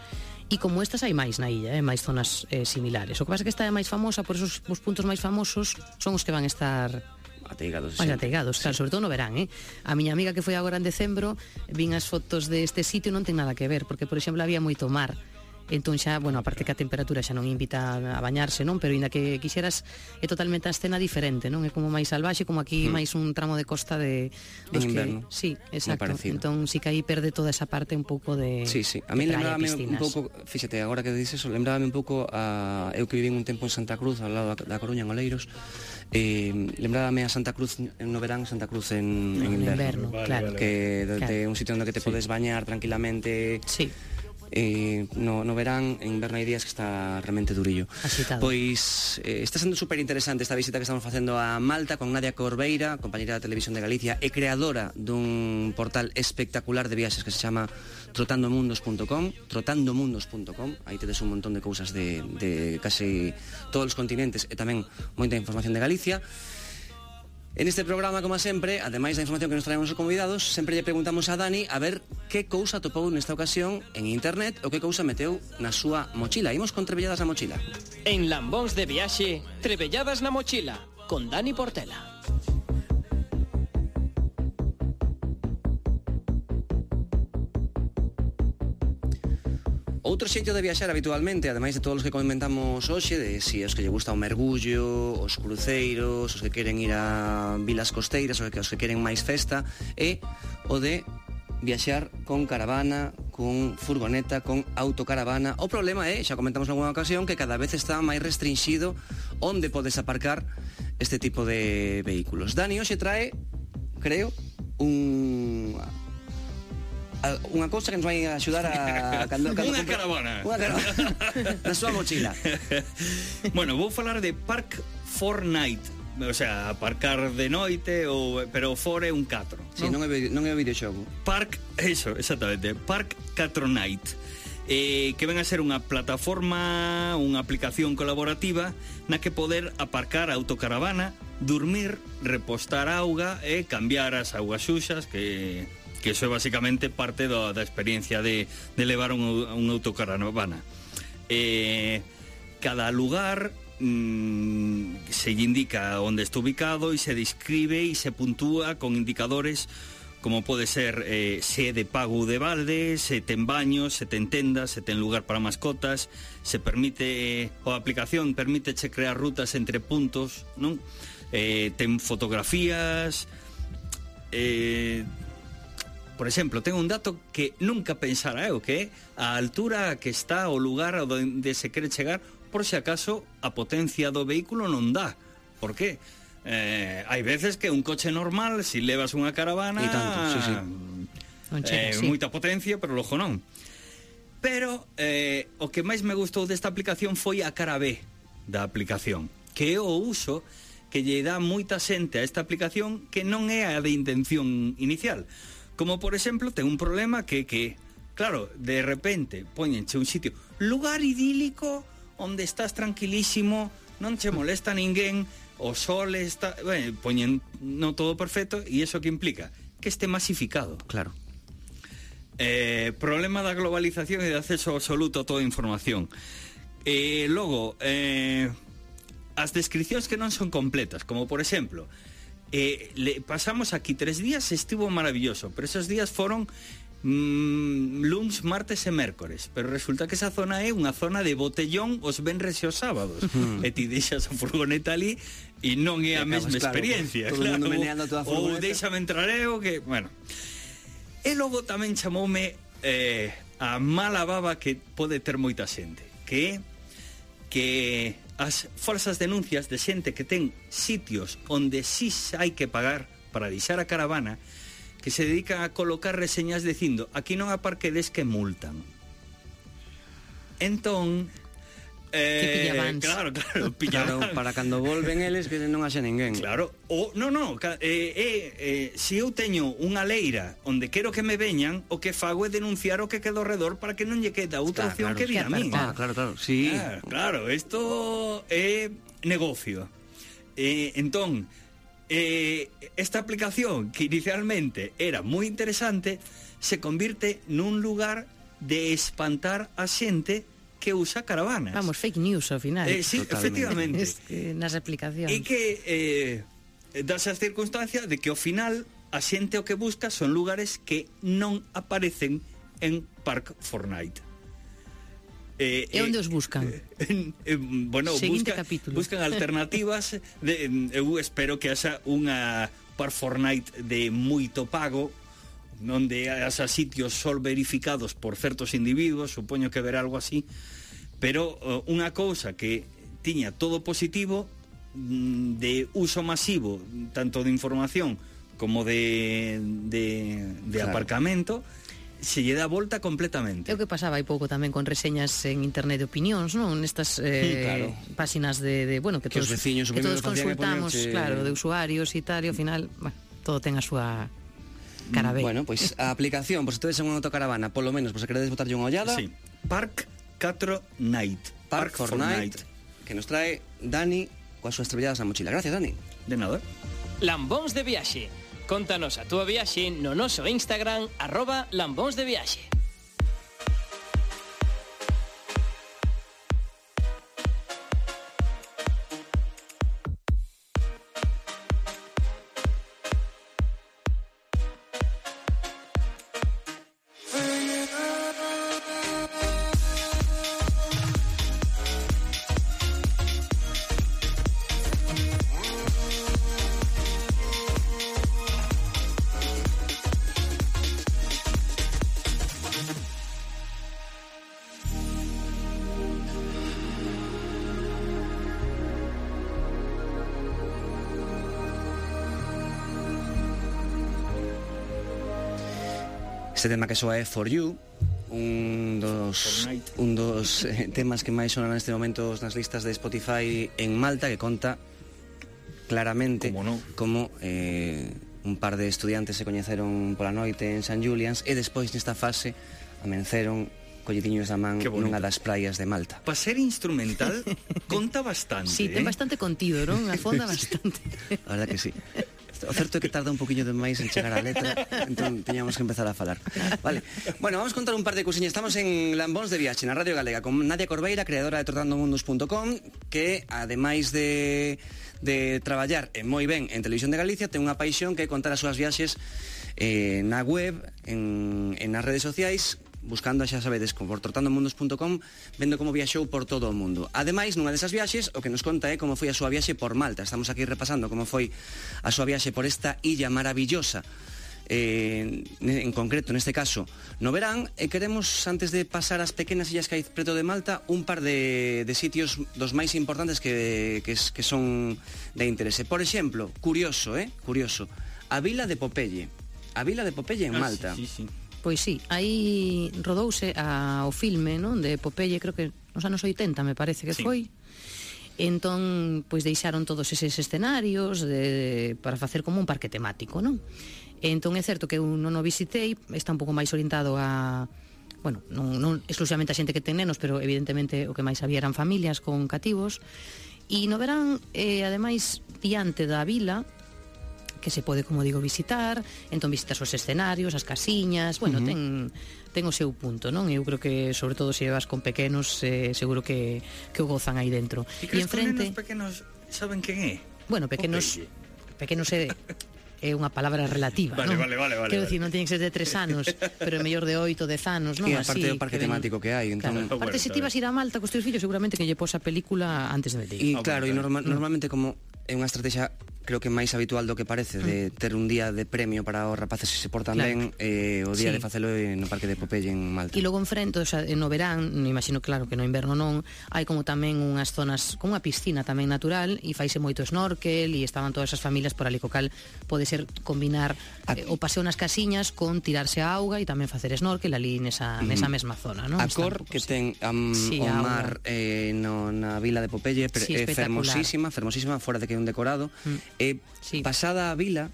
E como estas hai máis na illa, máis zonas similares. O que pasa é que esta é máis famosa, por eso os puntos máis famosos son os que van estar ateigados, claro, sobre todo no verán, A miña amiga que foi agora en decembro, vin as fotos deste sitio, non ten nada que ver, porque, por exemplo, había moito mar. Entón xa, aparte que a temperatura xa non invita a bañarse, non? Pero ainda que quixeras, é totalmente a escena diferente, non? É como máis salvaxe, como aquí máis un tramo de costa de dos inverno. Sí, exacto. Entón sí que aí perde toda esa parte un pouco de Sí. A mí lembrábame un pouco, fíxate, agora que dices eso, lembrábame un pouco a eu que vivín un tempo en Santa Cruz, ao lado da Coruña, en Oleiros. Lembrábame a Santa Cruz no verán, Santa Cruz en inverno, claro. Que un sitio onde que te podes bañar tranquilamente. Sí. no verán, en inverno hai días que está realmente durillo. Axitado. Pois está sendo super interesante esta visita que estamos facendo a Malta con Nadia Corbeira, compañera da Televisión de Galicia e creadora dun portal espectacular de viaxes que se chama trotandomundos.com, aí tedes un montón de cousas de casi todos os continentes e tamén moita información de Galicia. En este programa, como sempre, ademais da información que nos traemos os convidados, sempre lle preguntamos a Dani a ver que cousa topou nesta ocasión en internet ou que cousa meteu na súa mochila. Imos con Trebelladas na mochila. En Lambóns de Viaxe, Trebelladas na mochila, con Dani Portela. Outro xeito de viaxar habitualmente, ademais de todos os que comentamos hoxe, de si os que lle gusta o mergullo, os cruceiros, os que queren ir a vilas costeiras, os que queren máis festa, é o de viaxar con caravana, con furgoneta, con autocaravana. O problema é, xa comentamos en alguna ocasión, que cada vez está máis restringido onde podes aparcar este tipo de vehículos. Dani hoxe trae, creo, unha cousa que nos vai axudar a Unha caravana na súa mochila. Bueno, vou falar de Park Fortnite, o sea, aparcar de noite pero fora é un 4. Sí, non é o videoxogo. Park, eso, exactamente, Park 4 Night, que ven a ser unha plataforma, unha aplicación colaborativa na que poder aparcar a autocaravana, dormir, repostar auga e cambiar as augas xuxas, que eso é basicamente parte da experiencia de levar un autocaravana. Cada lugar se indica onde está ubicado e se describe e se puntúa con indicadores como pode ser se é de pago de balde, se ten baños, se ten tendas, se ten lugar para mascotas, se permite, a aplicación permíteche crear rutas entre puntos, non? Ten fotografías, por exemplo, ten un dato que nunca pensara eu, que é a altura que está o lugar onde se quere chegar, por se acaso a potencia do vehículo non dá. Por qué? Hai veces que un coche normal, se levas unha caravana, e tanto, sí. Non chega, sí. Moita potencia, pero logo non. Pero o que máis me gustou desta aplicación foi a cara B da aplicación, que é o uso que lle dá moita xente a esta aplicación que non é a de intención inicial. Como, por exemplo, ten un problema que claro, de repente poñenche un sitio, lugar idílico onde estás tranquilísimo, non che molesta ninguén, o sol está, poñen no todo perfecto, e iso que implica que este masificado. Claro. Problema da globalización e de acceso absoluto a toda a información. Logo, as descripcións que non son completas, como por exemplo, pasamos aquí 3 días, estivo maravilloso, pero esos días foron luns, martes e mércores, pero resulta que esa zona é unha zona de botellón os venres e os sábados, e ti deixas a furgoneta ali e non é a mesma experiencia, todo claro, mundo meneando a toda a furgoneta. ou déxame entrar eu, que, bueno. E logo tamén chamoume a mala baba que pode ter moita xente, que as falsas denuncias de xente que ten sitios onde sí hai que pagar para deixar a caravana, que se dedican a colocar reseñas dicindo aquí non aparquedes que multan. Entón, que pillabans. Claro, pillaban. Claro, para cando volven eles que non haxa ninguén. Claro, se eu teño unha leira onde quero que me veñan, o que fago é denunciar o que quedo ao redor para que non lle queda outra opción que vir a mí. Claro, sí. Claro, isto é negocio. Entón, esta aplicación, que inicialmente era moi interesante, se convirte nun lugar de espantar a xente que usa caravanas. Vamos, fake news ao final. Sí, efectivamente. Es que nas aplicacións. E que das as circunstancias de que ao final a xente o que busca son lugares que non aparecen en Park Fortnite. E onde os buscan? Bueno, buscan alternativas eu espero que haxa unha Park Fortnite de moito pago, onde haxa sitios só verificados por certos individuos, supoño que verá algo así, pero unha cousa que tiña todo positivo, de uso masivo, tanto de información como de claro, aparcamento, se lle dá volta completamente. É o que pasaba hai pouco tamén con reseñas en internet de opinións, non? Nestas claro. páxinas de bueno, que Que os todos, veciños o que primeiro todos que facían é consultamos, poñerche- claro, de usuarios e tal, e ao final, bueno, todo ten a súa cara B. Bueno, pois a aplicación, por se tedes en unha autocaravana, polo menos, por se queredes botarlle unha ollada, Sí. Park 4 Night. Park Fortnite, que nos trae Dani coas súas trebelladas na mochila. Gracias, Dani. De nada. Lambóns de viaxe. Contanos a túa viaxe no noso Instagram @lambónsdeviaxe. Este tema que soa é For You, un dos temas que máis sonan neste momento nas listas de Spotify en Malta, que conta claramente Como non. como un par de estudiantes se coñeceron pola noite en San Julians e despois nesta fase amenceron colletiños da man Que bonito. nunha das praias de Malta. Para ser instrumental, conta bastante. Sí, ten bastante contido, non? Afonda bastante. A verdad que sí. O certo é que tarda un poquinho de máis en chegar á letra, entón teñamos que empezar a falar. Vale. Bueno, vamos contar un par de cousiñas. Estamos en Lambóns de Viaxe, na Radio Galega, con Nadia Corbeira, creadora de trotandomundos.com, que, ademais de traballar moi ben en Televisión de Galicia, ten unha paixón que é contar as súas viaxes na web, nas redes sociais, buscando, xa sabedes, por trotandomundos.com, vendo como viaxou por todo o mundo. Ademais, nunha desas viaxes, o que nos conta é como foi a súa viaxe por Malta. Estamos aquí repasando como foi a súa viaxe por esta illa maravillosa, en concreto, neste caso, no verán, e queremos, antes de pasar as pequenas illas que hai preto de Malta, un par de sitios dos máis importantes que son de interese. Por exemplo, curioso, a Vila de Popeye. A Vila de Popeye en Malta. Sí. Pois sí, aí rodouse o filme, non, de Popeye, creo que nos anos 80, me parece que Sí. foi. Entón, pois deixaron todos eses escenarios para facer como un parque temático, non? Entón é certo que eu non o visitei, está un pouco máis orientado a, bueno, non exclusivamente a xente que ten nenos, pero evidentemente o que máis había eran familias con cativos. E no verán, ademais, diante da vila, que se pode, como digo, visitar, entón visitas os escenarios, as casiñas, bueno, ten o seu punto, non? Eu creo que, sobre todo, se vas con pequenos, seguro que o gozan aí dentro. E crees que os nenos pequenos saben quen é? Bueno, pequenos é unha palabra relativa, Vale, non? vale. Quero dicir, non tienen que ser de 3 anos, pero mellor de 8, 10 anos, non? E aparte Así, do parque que ven- temático que hai, entón... Claro. Aparte, se ti vas ir a Malta cos teus fillos, seguramente que lle pos a película antes de meter. E claro, e normalmente como é unha estrategia creo que máis habitual do que parece de ter un día de premio para os rapaces se se portan Claro. ben, o día Sí. de facelo no parque de Popeye en Malta. E logo enfrente, o sea, no verán, me imagino claro que no inverno non, hai como tamén unhas zonas, como unha piscina tamén natural, e faise moito snorkel, e estaban todas as familias por ali, co cal pode ser combinar o paseo nas casiñas con tirarse a auga e tamén facer snorkel ali nesa mesma zona, non? A Está un cor pouco, que sí. ten Sí, o a mar na vila de Popeye Sí, é espectacular. fermosísima, fora de que é un decorado. E Sí. pasada a vila,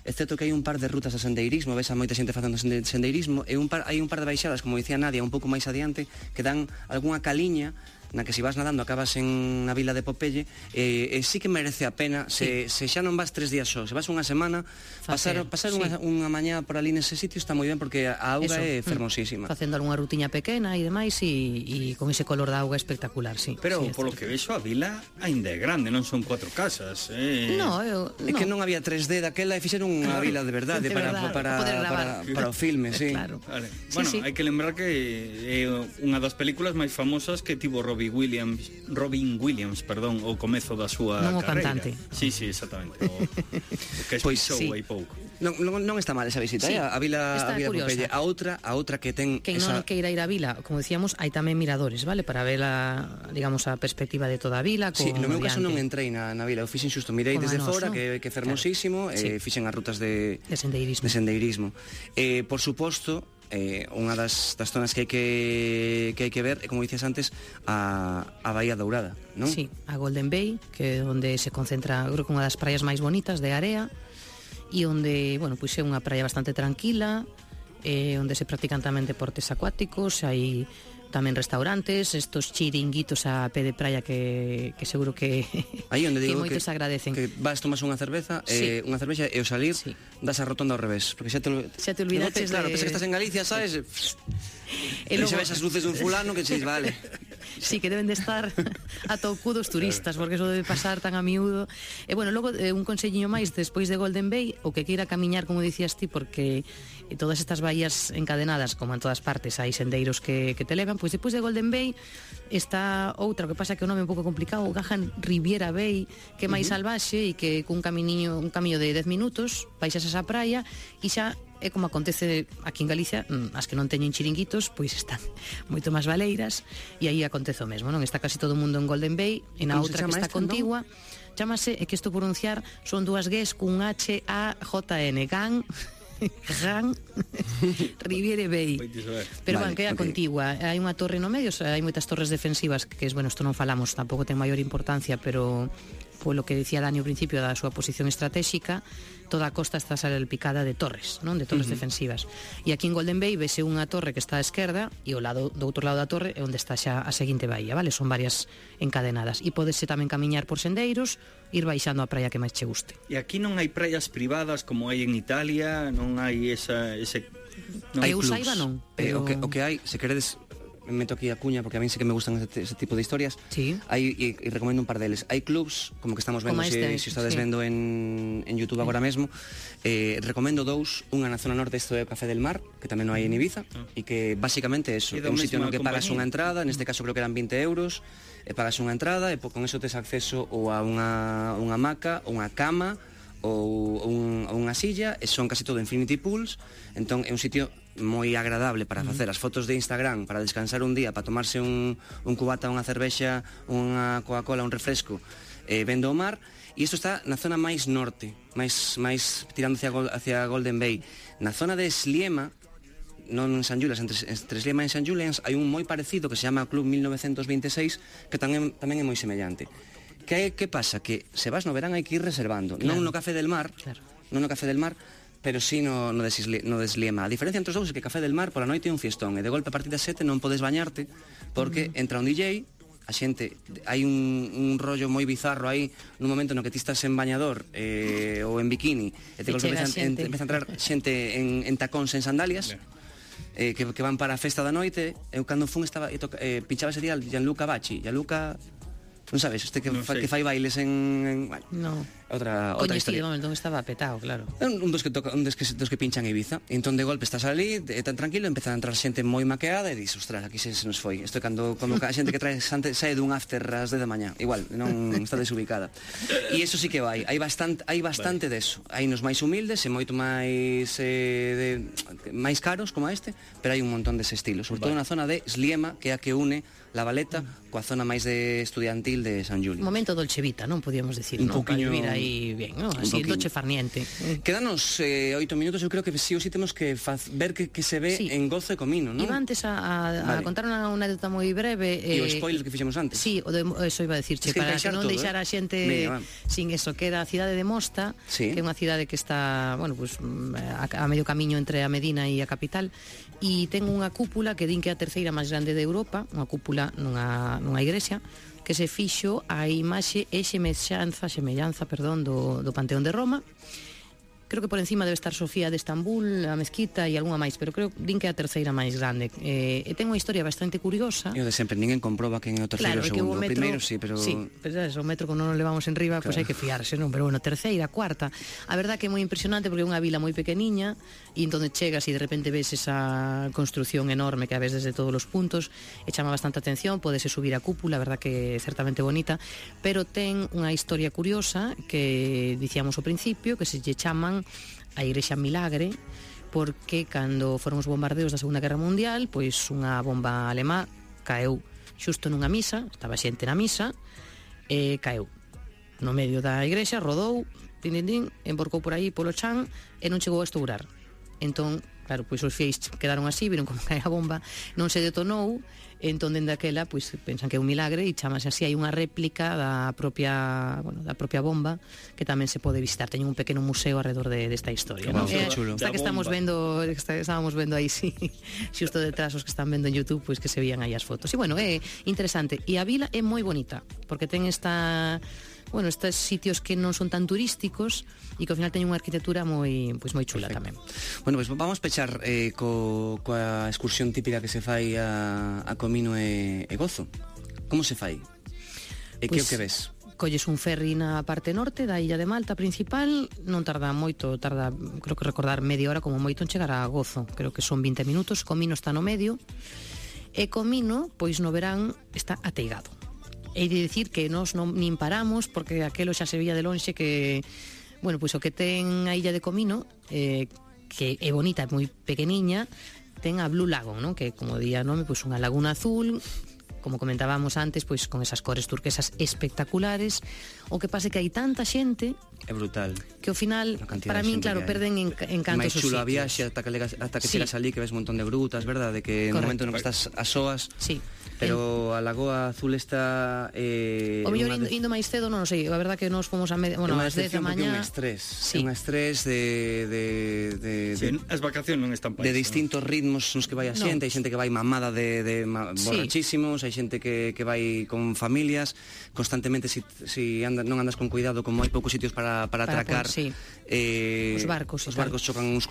é certo que hai un par de rutas de sendeirismo, ves a moita xente facendo sendeirismo, e hai un par de baixadas, como dicía Nadia, un pouco máis adiante, que dan algunha caliña na que se vas nadando acabas na vila de Popeye, e sí que merece a pena, se xa non vas 3 días só, se vas unha semana, pasar sí. unha mañá por ali nese sitio está moi ben, porque a auga é fermosísima. Facendo algunha rutiña pequena e demais, e con ese color da auga espectacular, sí. Pero sí, polo que vexo a vila aínda é grande, non son 4 casas. No, É que non había 3D daquela e fixeron unha vila de verdade De verdade, para poder gravar. para o filme, sí. Claro. Vale. Sí, Bueno, sí. hai que lembrar que é unha das películas máis famosas que tivo Robert Robin Williams, perdón, o comezo da súa Non o carreira. cantante. Sí, exactamente. O que Pois espisou sí. aí pouco. Non está mal esa visita, Sí, a Vila está curiosa. Pompeia. A outra que ten Quen non queira ir a vila, como decíamos, hai tamén miradores, vale? Para ver digamos, a perspectiva de toda a vila. Sí, no meu caso non diante entrei na vila, eu fixen xusto, mirei Como desde a noso. fora, que é fermosísimo, Claro. Sí. fixen as rutas de sendeirismo. Por suposto, unha das zonas que hai que ver, como dicías antes, a Bahía Dourada, non? Sí, a Golden Bay, que é onde se concentra, creo que unha das praias máis bonitas de area, e onde, bueno, pois é unha praia bastante tranquila, onde se practican tamén deportes acuáticos, hai tamén restaurantes, estos chiringuitos a pé de praia que seguro que Aí onde que digo moitos agradecen. que vas, tomas unha cerveza, Sí. unha cervexa e ao salir Sí. das a rotonda ao revés, porque xa te olvidaches claro, de- pensas que estás en Galicia, sabes? E E logo- xa ves as luces dun fulano que dices, vale. Sí, que deben de estar atoucudos turistas, porque eso debe pasar tan a miúdo. E bueno, logo un conselliño máis despois de Golden Bay, o que queira camiñar, como dicías ti, porque todas estas bahías encadenadas, como en todas partes, hai sendeiros que te levan, pois despois de Golden Bay está outra, o que pasa que o nome é un pouco complicado, Gahan Riviera Bay, que é máis salvaxe e que cun camiño de 10 minutos baixas a esa praia e xa é como acontece aquí en Galicia, as que non teñen chiringuitos, pois están moito máis baleiras, e aí acontece o mesmo, non? Está casi todo o mundo en Golden Bay, e na Como se outra que chama está esta, non? contigua, chámase, é que isto pronunciar son dúas Gs cun H-A-J-N, Gan Riviere Bay. Pois iso é. Pero Vale, van, que é a ok. contigua. Hai unha torre no medio, o sea, hai moitas torres defensivas que, bueno, isto non falamos, tampouco ten maior importancia, pero polo que decía Dani ao principio da súa posición estratégica, toda a costa está salpicada de torres, non? De torres defensivas. E aquí en Golden Bay vese unha torre que está á esquerda e o lado do outro lado da torre é onde está xa a seguinte bahía, vale? Son varias encadenadas. E podese tamén camiñar por sendeiros, ir baixando a praia que máis che guste. E aquí non hai praias privadas como hai en Italia, non hai ese non Hai hai eu clubs. saiba non, pero... O que hai, se queredes, me meto aquí a cuña porque a mí sí que me gustan ese tipo de historias. Sí. Hai, e recomendo un par deles. Hai clubs, como que estamos vendo, Como se este, estades sí. vendo en YouTube agora mesmo. Recomendo dous, unha na zona norte, isto é o Café del Mar, que tamén non hai en Ibiza, e que basicamente é eso, E é da un sitio no mesma que pagas compañía. unha entrada, neste caso creo que eran 20 euros, e pagas unha entrada, e con eso tes acceso ou a unha hamaca, unha cama, ou unha silla, e son casi todo infinity pools, entón é un sitio moi agradable para facer as fotos de Instagram, para descansar un día, para tomarse un cubata, unha cervexa, unha Coca-Cola, un refresco, vendo o mar. E isto está na zona máis norte, máis tirando hacia Golden Bay. Na zona de Sliema, non en San Julians, entre Sliema e San Julians, hai un moi parecido que se chama Club 1926, que tamén é moi semellante. Que pasa? Que se vas no verán hai que ir reservando, Claro. non no Café del Mar, Claro. non no Café del Mar, pero sí no de Sliema. A diferencia entre os dous é que Café del Mar pola noite é un fiestón, e de golpe a partir das 7 non podes bañarte, porque entra un DJ, a xente, hai un rollo moi bizarro aí, nun momento no que ti estás en bañador ou en bikini, e te E golpe chega xente. empeza a entrar xente en tacóns, en sandalias, que van para a festa da noite. Eu cando fun estaba pinchaba ese día Gianluca Bacci. Gianluca, non sabes, este que Non sei. fai bailes en bueno, No. outra Coñecido, historia. non estaba petado, claro. É un dos que pinchan en Ibiza. E entón de golpe estás ali, tan tranquilo, empeza a entrar xente moi maqueada e dis, ostras, aquí se nos foi. Isto é cando a xente que trae sae dun after ás 10 da mañá. Igual, non está desubicada. E iso sí que vai. Hai bastante deso. Hai nos máis humildes e moito máis máis caros como este, pero hai un montón dese estilo, sobre todo na zona de Sliema, que é a que une La Valeta coa zona máis de estudiantil de San Julio. Un momento dolce vita, non podíamos decir, Un non? poquiño- Para vivir aí bien, non? un Así, poquiño. dolce farniente. Quedanos 8 minutos, eu creo que sí ou sí temos que ver que se ve Sí. en Gozo e Comino, non? Iba antes a Vale. contar unha anécdota moi breve. E o spoiler que fixemos antes. Sí, eso iba a decirche, Es que para que encaixar non todo, deixar a xente Venga, va. sin eso, que era a cidade de Mosta, Sí. que é unha cidade que está, bueno, pues, a medio camiño entre a Medina e a capital, e ten unha cúpula que din que é a terceira máis grande de Europa, unha cúpula nunha igrexa, que se fixo a imaxe e semellanza do Panteón de Roma, creo que por encima debe estar Sofía de Estambul, a mezquita e algunha máis, pero creo din que é a terceira máis grande. E ten unha historia bastante curiosa. E o de sempre, ninguén comproba quen é o terceiro ou segundo. O primeiro sí, pero... Sí, pero o metro como non nos levamos en riba, pois hai que fiarse, non? Pero bueno, terceira, cuarta. A verdad que é moi impresionante porque é unha vila moi pequeniña e entón chegas e de repente ves esa construción enorme que a ves desde todos os puntos e chama bastante atención, podese subir a cúpula, a verdad que é certamente bonita, pero ten unha historia curiosa que dicíamos ao principio, que se lle chaman a Igrexa Milagre, porque cando foron os bombardeos da Segunda Guerra Mundial, pois unha bomba alemá caeu xusto nunha misa, estaba xente na misa, e caeu no medio da igrexa, rodou, emborcou por aí polo chan e non chegou a estourar. Entón, claro, pois os fieis quedaron así, viron como cae a bomba, non se detonou, entón dende aquela pois pensan que é un milagre e chamase así. Hai unha réplica da propia bomba que tamén se pode visitar. Teñen un pequeno museo alrededor desta historia, Wow, ¿no? chulo. Esta que estábamos vendo aí, sí, xusto detrás os que están vendo en YouTube, pois que se vían aí as fotos. E bueno, é interesante. E a vila é moi bonita, porque ten estes sitios que non son tan turísticos e que ao final teñen unha arquitectura moi chula. Perfecto. Tamén. Bueno, pois vamos pechar coa excursión típica que se fai a Comino e Gozo. Como se fai? E que o que ves? Colles un ferry na parte norte da illa de Malta principal, non tarda moito, creo que recordar media hora como moito en chegar a Gozo, creo que son 20 minutos. Comino está no medio e Comino, pois no verán está ateigado. Hei de dicir que nós non nin paramos porque aquelo xa se veía de lonxe que, bueno, pois o que ten a illa de Comino, que é bonita, é moi pequeniña, ten a Blue Lagoon, non? Que como día nome, pois unha laguna azul, como comentábamos antes, pois con esas cores turquesas espectaculares. O que pasa é que hai tanta xente, é brutal, que ao final para min, claro, perden encanto esos sitios. Máis chulo a viaxe ata que chegas ali, que ves un montón de grutas, verdade? Que no momento no que estás a soas. Sí. Pero a Lagoa Azul está... o mellor indo máis cedo, non sei. A verdad que nos fomos ás 10 da mañá. É un estrés. Sí. É un estrés as vacacións non están para de distintos ritmos nos que vai a xente. Hai xente que vai mamada borrachísimos, hai xente que vai con familias. Constantemente, si non andas con cuidado, como hai poucos sitios para atracar, os barcos chocan uns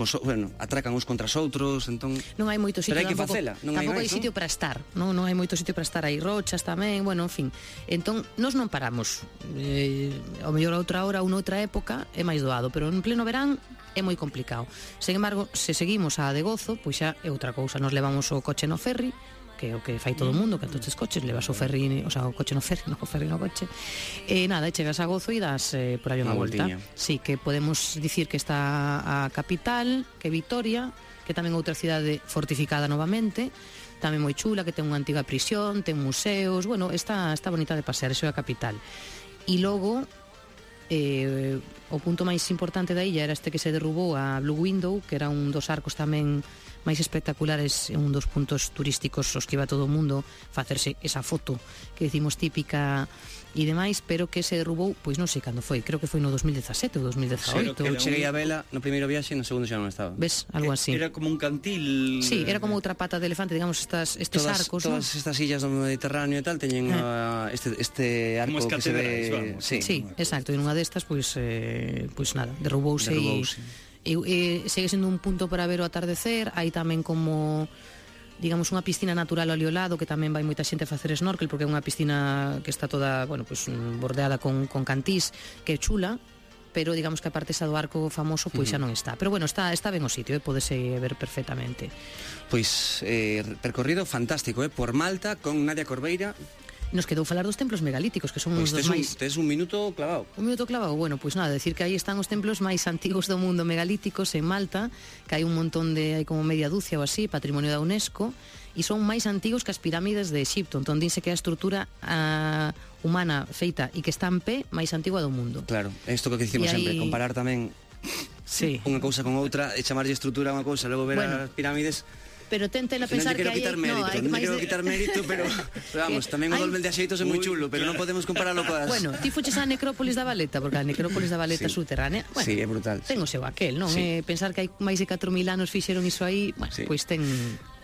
atracan uns contra os outros, entón... Non hai moito sitio, pero hai que facela. Tampouco hai sitio para estar, non hai moito sitio para estar, aí rochas tamén, bueno, en fin. Entón, nós non paramos. Ao mellor a outra hora ou noutra época é máis doado, pero en pleno verán é moi complicado. Sen embargo, se seguimos a de Gozo, pois xa é outra cousa. Nos levamos o coche no ferry, que é o que fai todo o mundo, que todos os coches levas o ferry, o sea, o coche no ferry, non o ferry no coche. E nada, chegas a Gozo e das por aí unha volta. Sí, que podemos dicir que está a capital, que é Vitoria, que tamén outra cidade fortificada novamente, tamén moi chula, que ten unha antiga prisión, ten museos, bueno, está bonita de pasear, iso é a capital. E logo, o punto máis importante da illa era este que se derrubou, a Blue Window, que era un dos arcos tamén máis espectaculares, un dos puntos turísticos os que iba todo o mundo facerse esa foto que decimos típica e demais, pero que se derrubou, pois non sei cando foi, creo que foi no 2017 ou 2018. Eu cheguei a vela no primeiro viaxe e no segundo xa non estaba. Ves, algo así. Era como un cantil. Sí, era como outra pata de elefante, digamos, estes arcos, todas estas illas do Mediterráneo e tal teñen este arco que se ve, sí, exacto, e nunha destas pois nada, derrubouse. E segue sendo un punto para ver o atardecer. Hai tamén como, digamos, unha piscina natural ao lado, que tamén vai moita xente a facer snorkel, porque é unha piscina que está toda, bueno, pues, bordeada con cantís, que é chula, pero digamos que a parte esa do arco famoso pois xa non está. Pero bueno, está ben o sitio, pódese ver perfectamente. Pois percorrido fantástico, por Malta con Nadia Corbeira. Nos quedou falar dos templos megalíticos, que son uns dos máis... Tes un minuto clavado. Un minuto clavado, bueno, pois nada, decir que aí están os templos máis antigos do mundo megalíticos en Malta, que hai un montón hai como media dúcia ou así, patrimonio da UNESCO, e son máis antigos que as pirámides de Exipto, entón dinse que é a estrutura humana feita e que está en pé máis antigua do mundo. Claro, isto que dicimos sempre, comparar tamén unha cousa con outra, e chamarlle estrutura a unha cousa, logo ver as pirámides... Pero tenten a pensar que hai... Non quero quitar mérito, pero vamos, tamén o Dolmen de Axeitos é moi chulo, pero non podemos compararlo coas... Bueno, ti fuches a Necrópolis da Valeta, porque a Necrópolis da Valeta subterránea, bueno, sí, é brutal. Ten o seu aquel, non? Pensar que hai máis de 4.000 anos fixeron iso aí, bueno, pois ten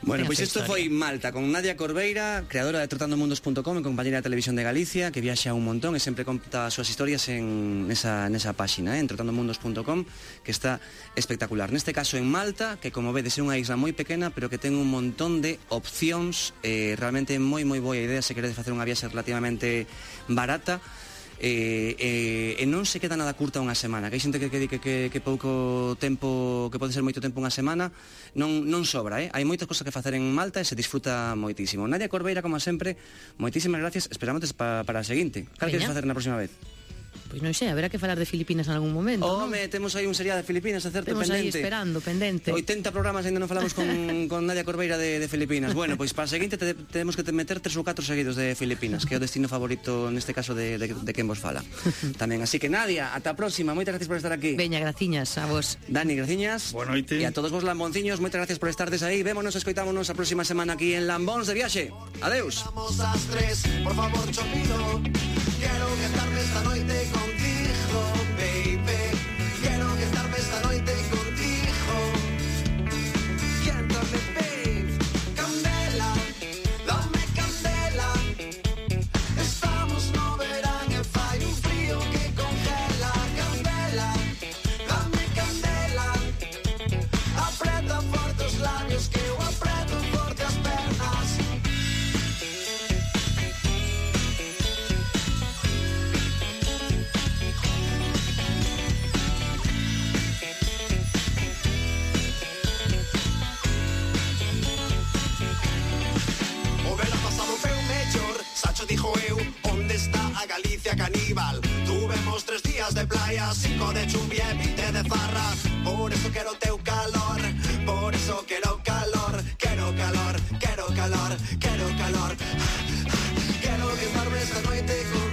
Bueno, Ten a pois súa isto historia. foi Malta con Nadia Corbeira, creadora de trotandomundos.com e compañera de Televisión de Galicia, que viaxa un montón e sempre conta as súas historias nesa páxina, en trotandomundos.com, que está espectacular. Neste caso en Malta, que como vedes é unha isla moi pequena, pero que ten un montón de opcións, realmente moi boa idea se queredes facer unha viaxe relativamente barata. E non se queda nada curta unha semana, que hai xente que di que pouco tempo, que pode ser moito tempo unha semana, non sobra, hai moitas cosas que facer en Malta e se disfruta moitísimo. Nadia Corbeira, como sempre, moitísimas gracias, esperamos para a seguinte. Cal queres facer na próxima vez? Pois non sei, haberá que falar de Filipinas en algún momento, non? Home, temos aí un serial de Filipinas, acerto Temos aí pendente. esperando, pendente. 80 programas ainda non falamos con Nadia Corbeira de Filipinas. Bueno, pois para a seguinte temos que meter 3 ou 4 seguidos de Filipinas, que é o destino favorito neste caso de quen vos fala. Tamén, así que Nadia, ata a próxima, moitas gracias por estar aquí. Veña, graciñas a vos. Dani, graciñas. Boa noite. E a todos vos lambonciños, moitas gracias por estardes aí. Vémonos, escoitámonos a próxima semana aquí en Lambóns de Viaxe. Adeus. Vamos ás 3, por favor, chopino. Quero quedarme esta noite contigo, baby. Quero quedarme esta noite contigo. Quéntame, babe. Candela, dame candela. Estamos no verán e fai un frío que congela. Candela, dame candela. Apreta forte os labios que eu apreto forte as pernas. O velo pasado fue un mellor, Sacho dijo eu, onde está a Galicia caníbal? Tuvemos 3 días de playa, 5 de chuvia e 20 de farra. Por eso quero teu calor, por eso quero calor. Quero calor, quero calor, quero calor. Quero quedarme esta noite con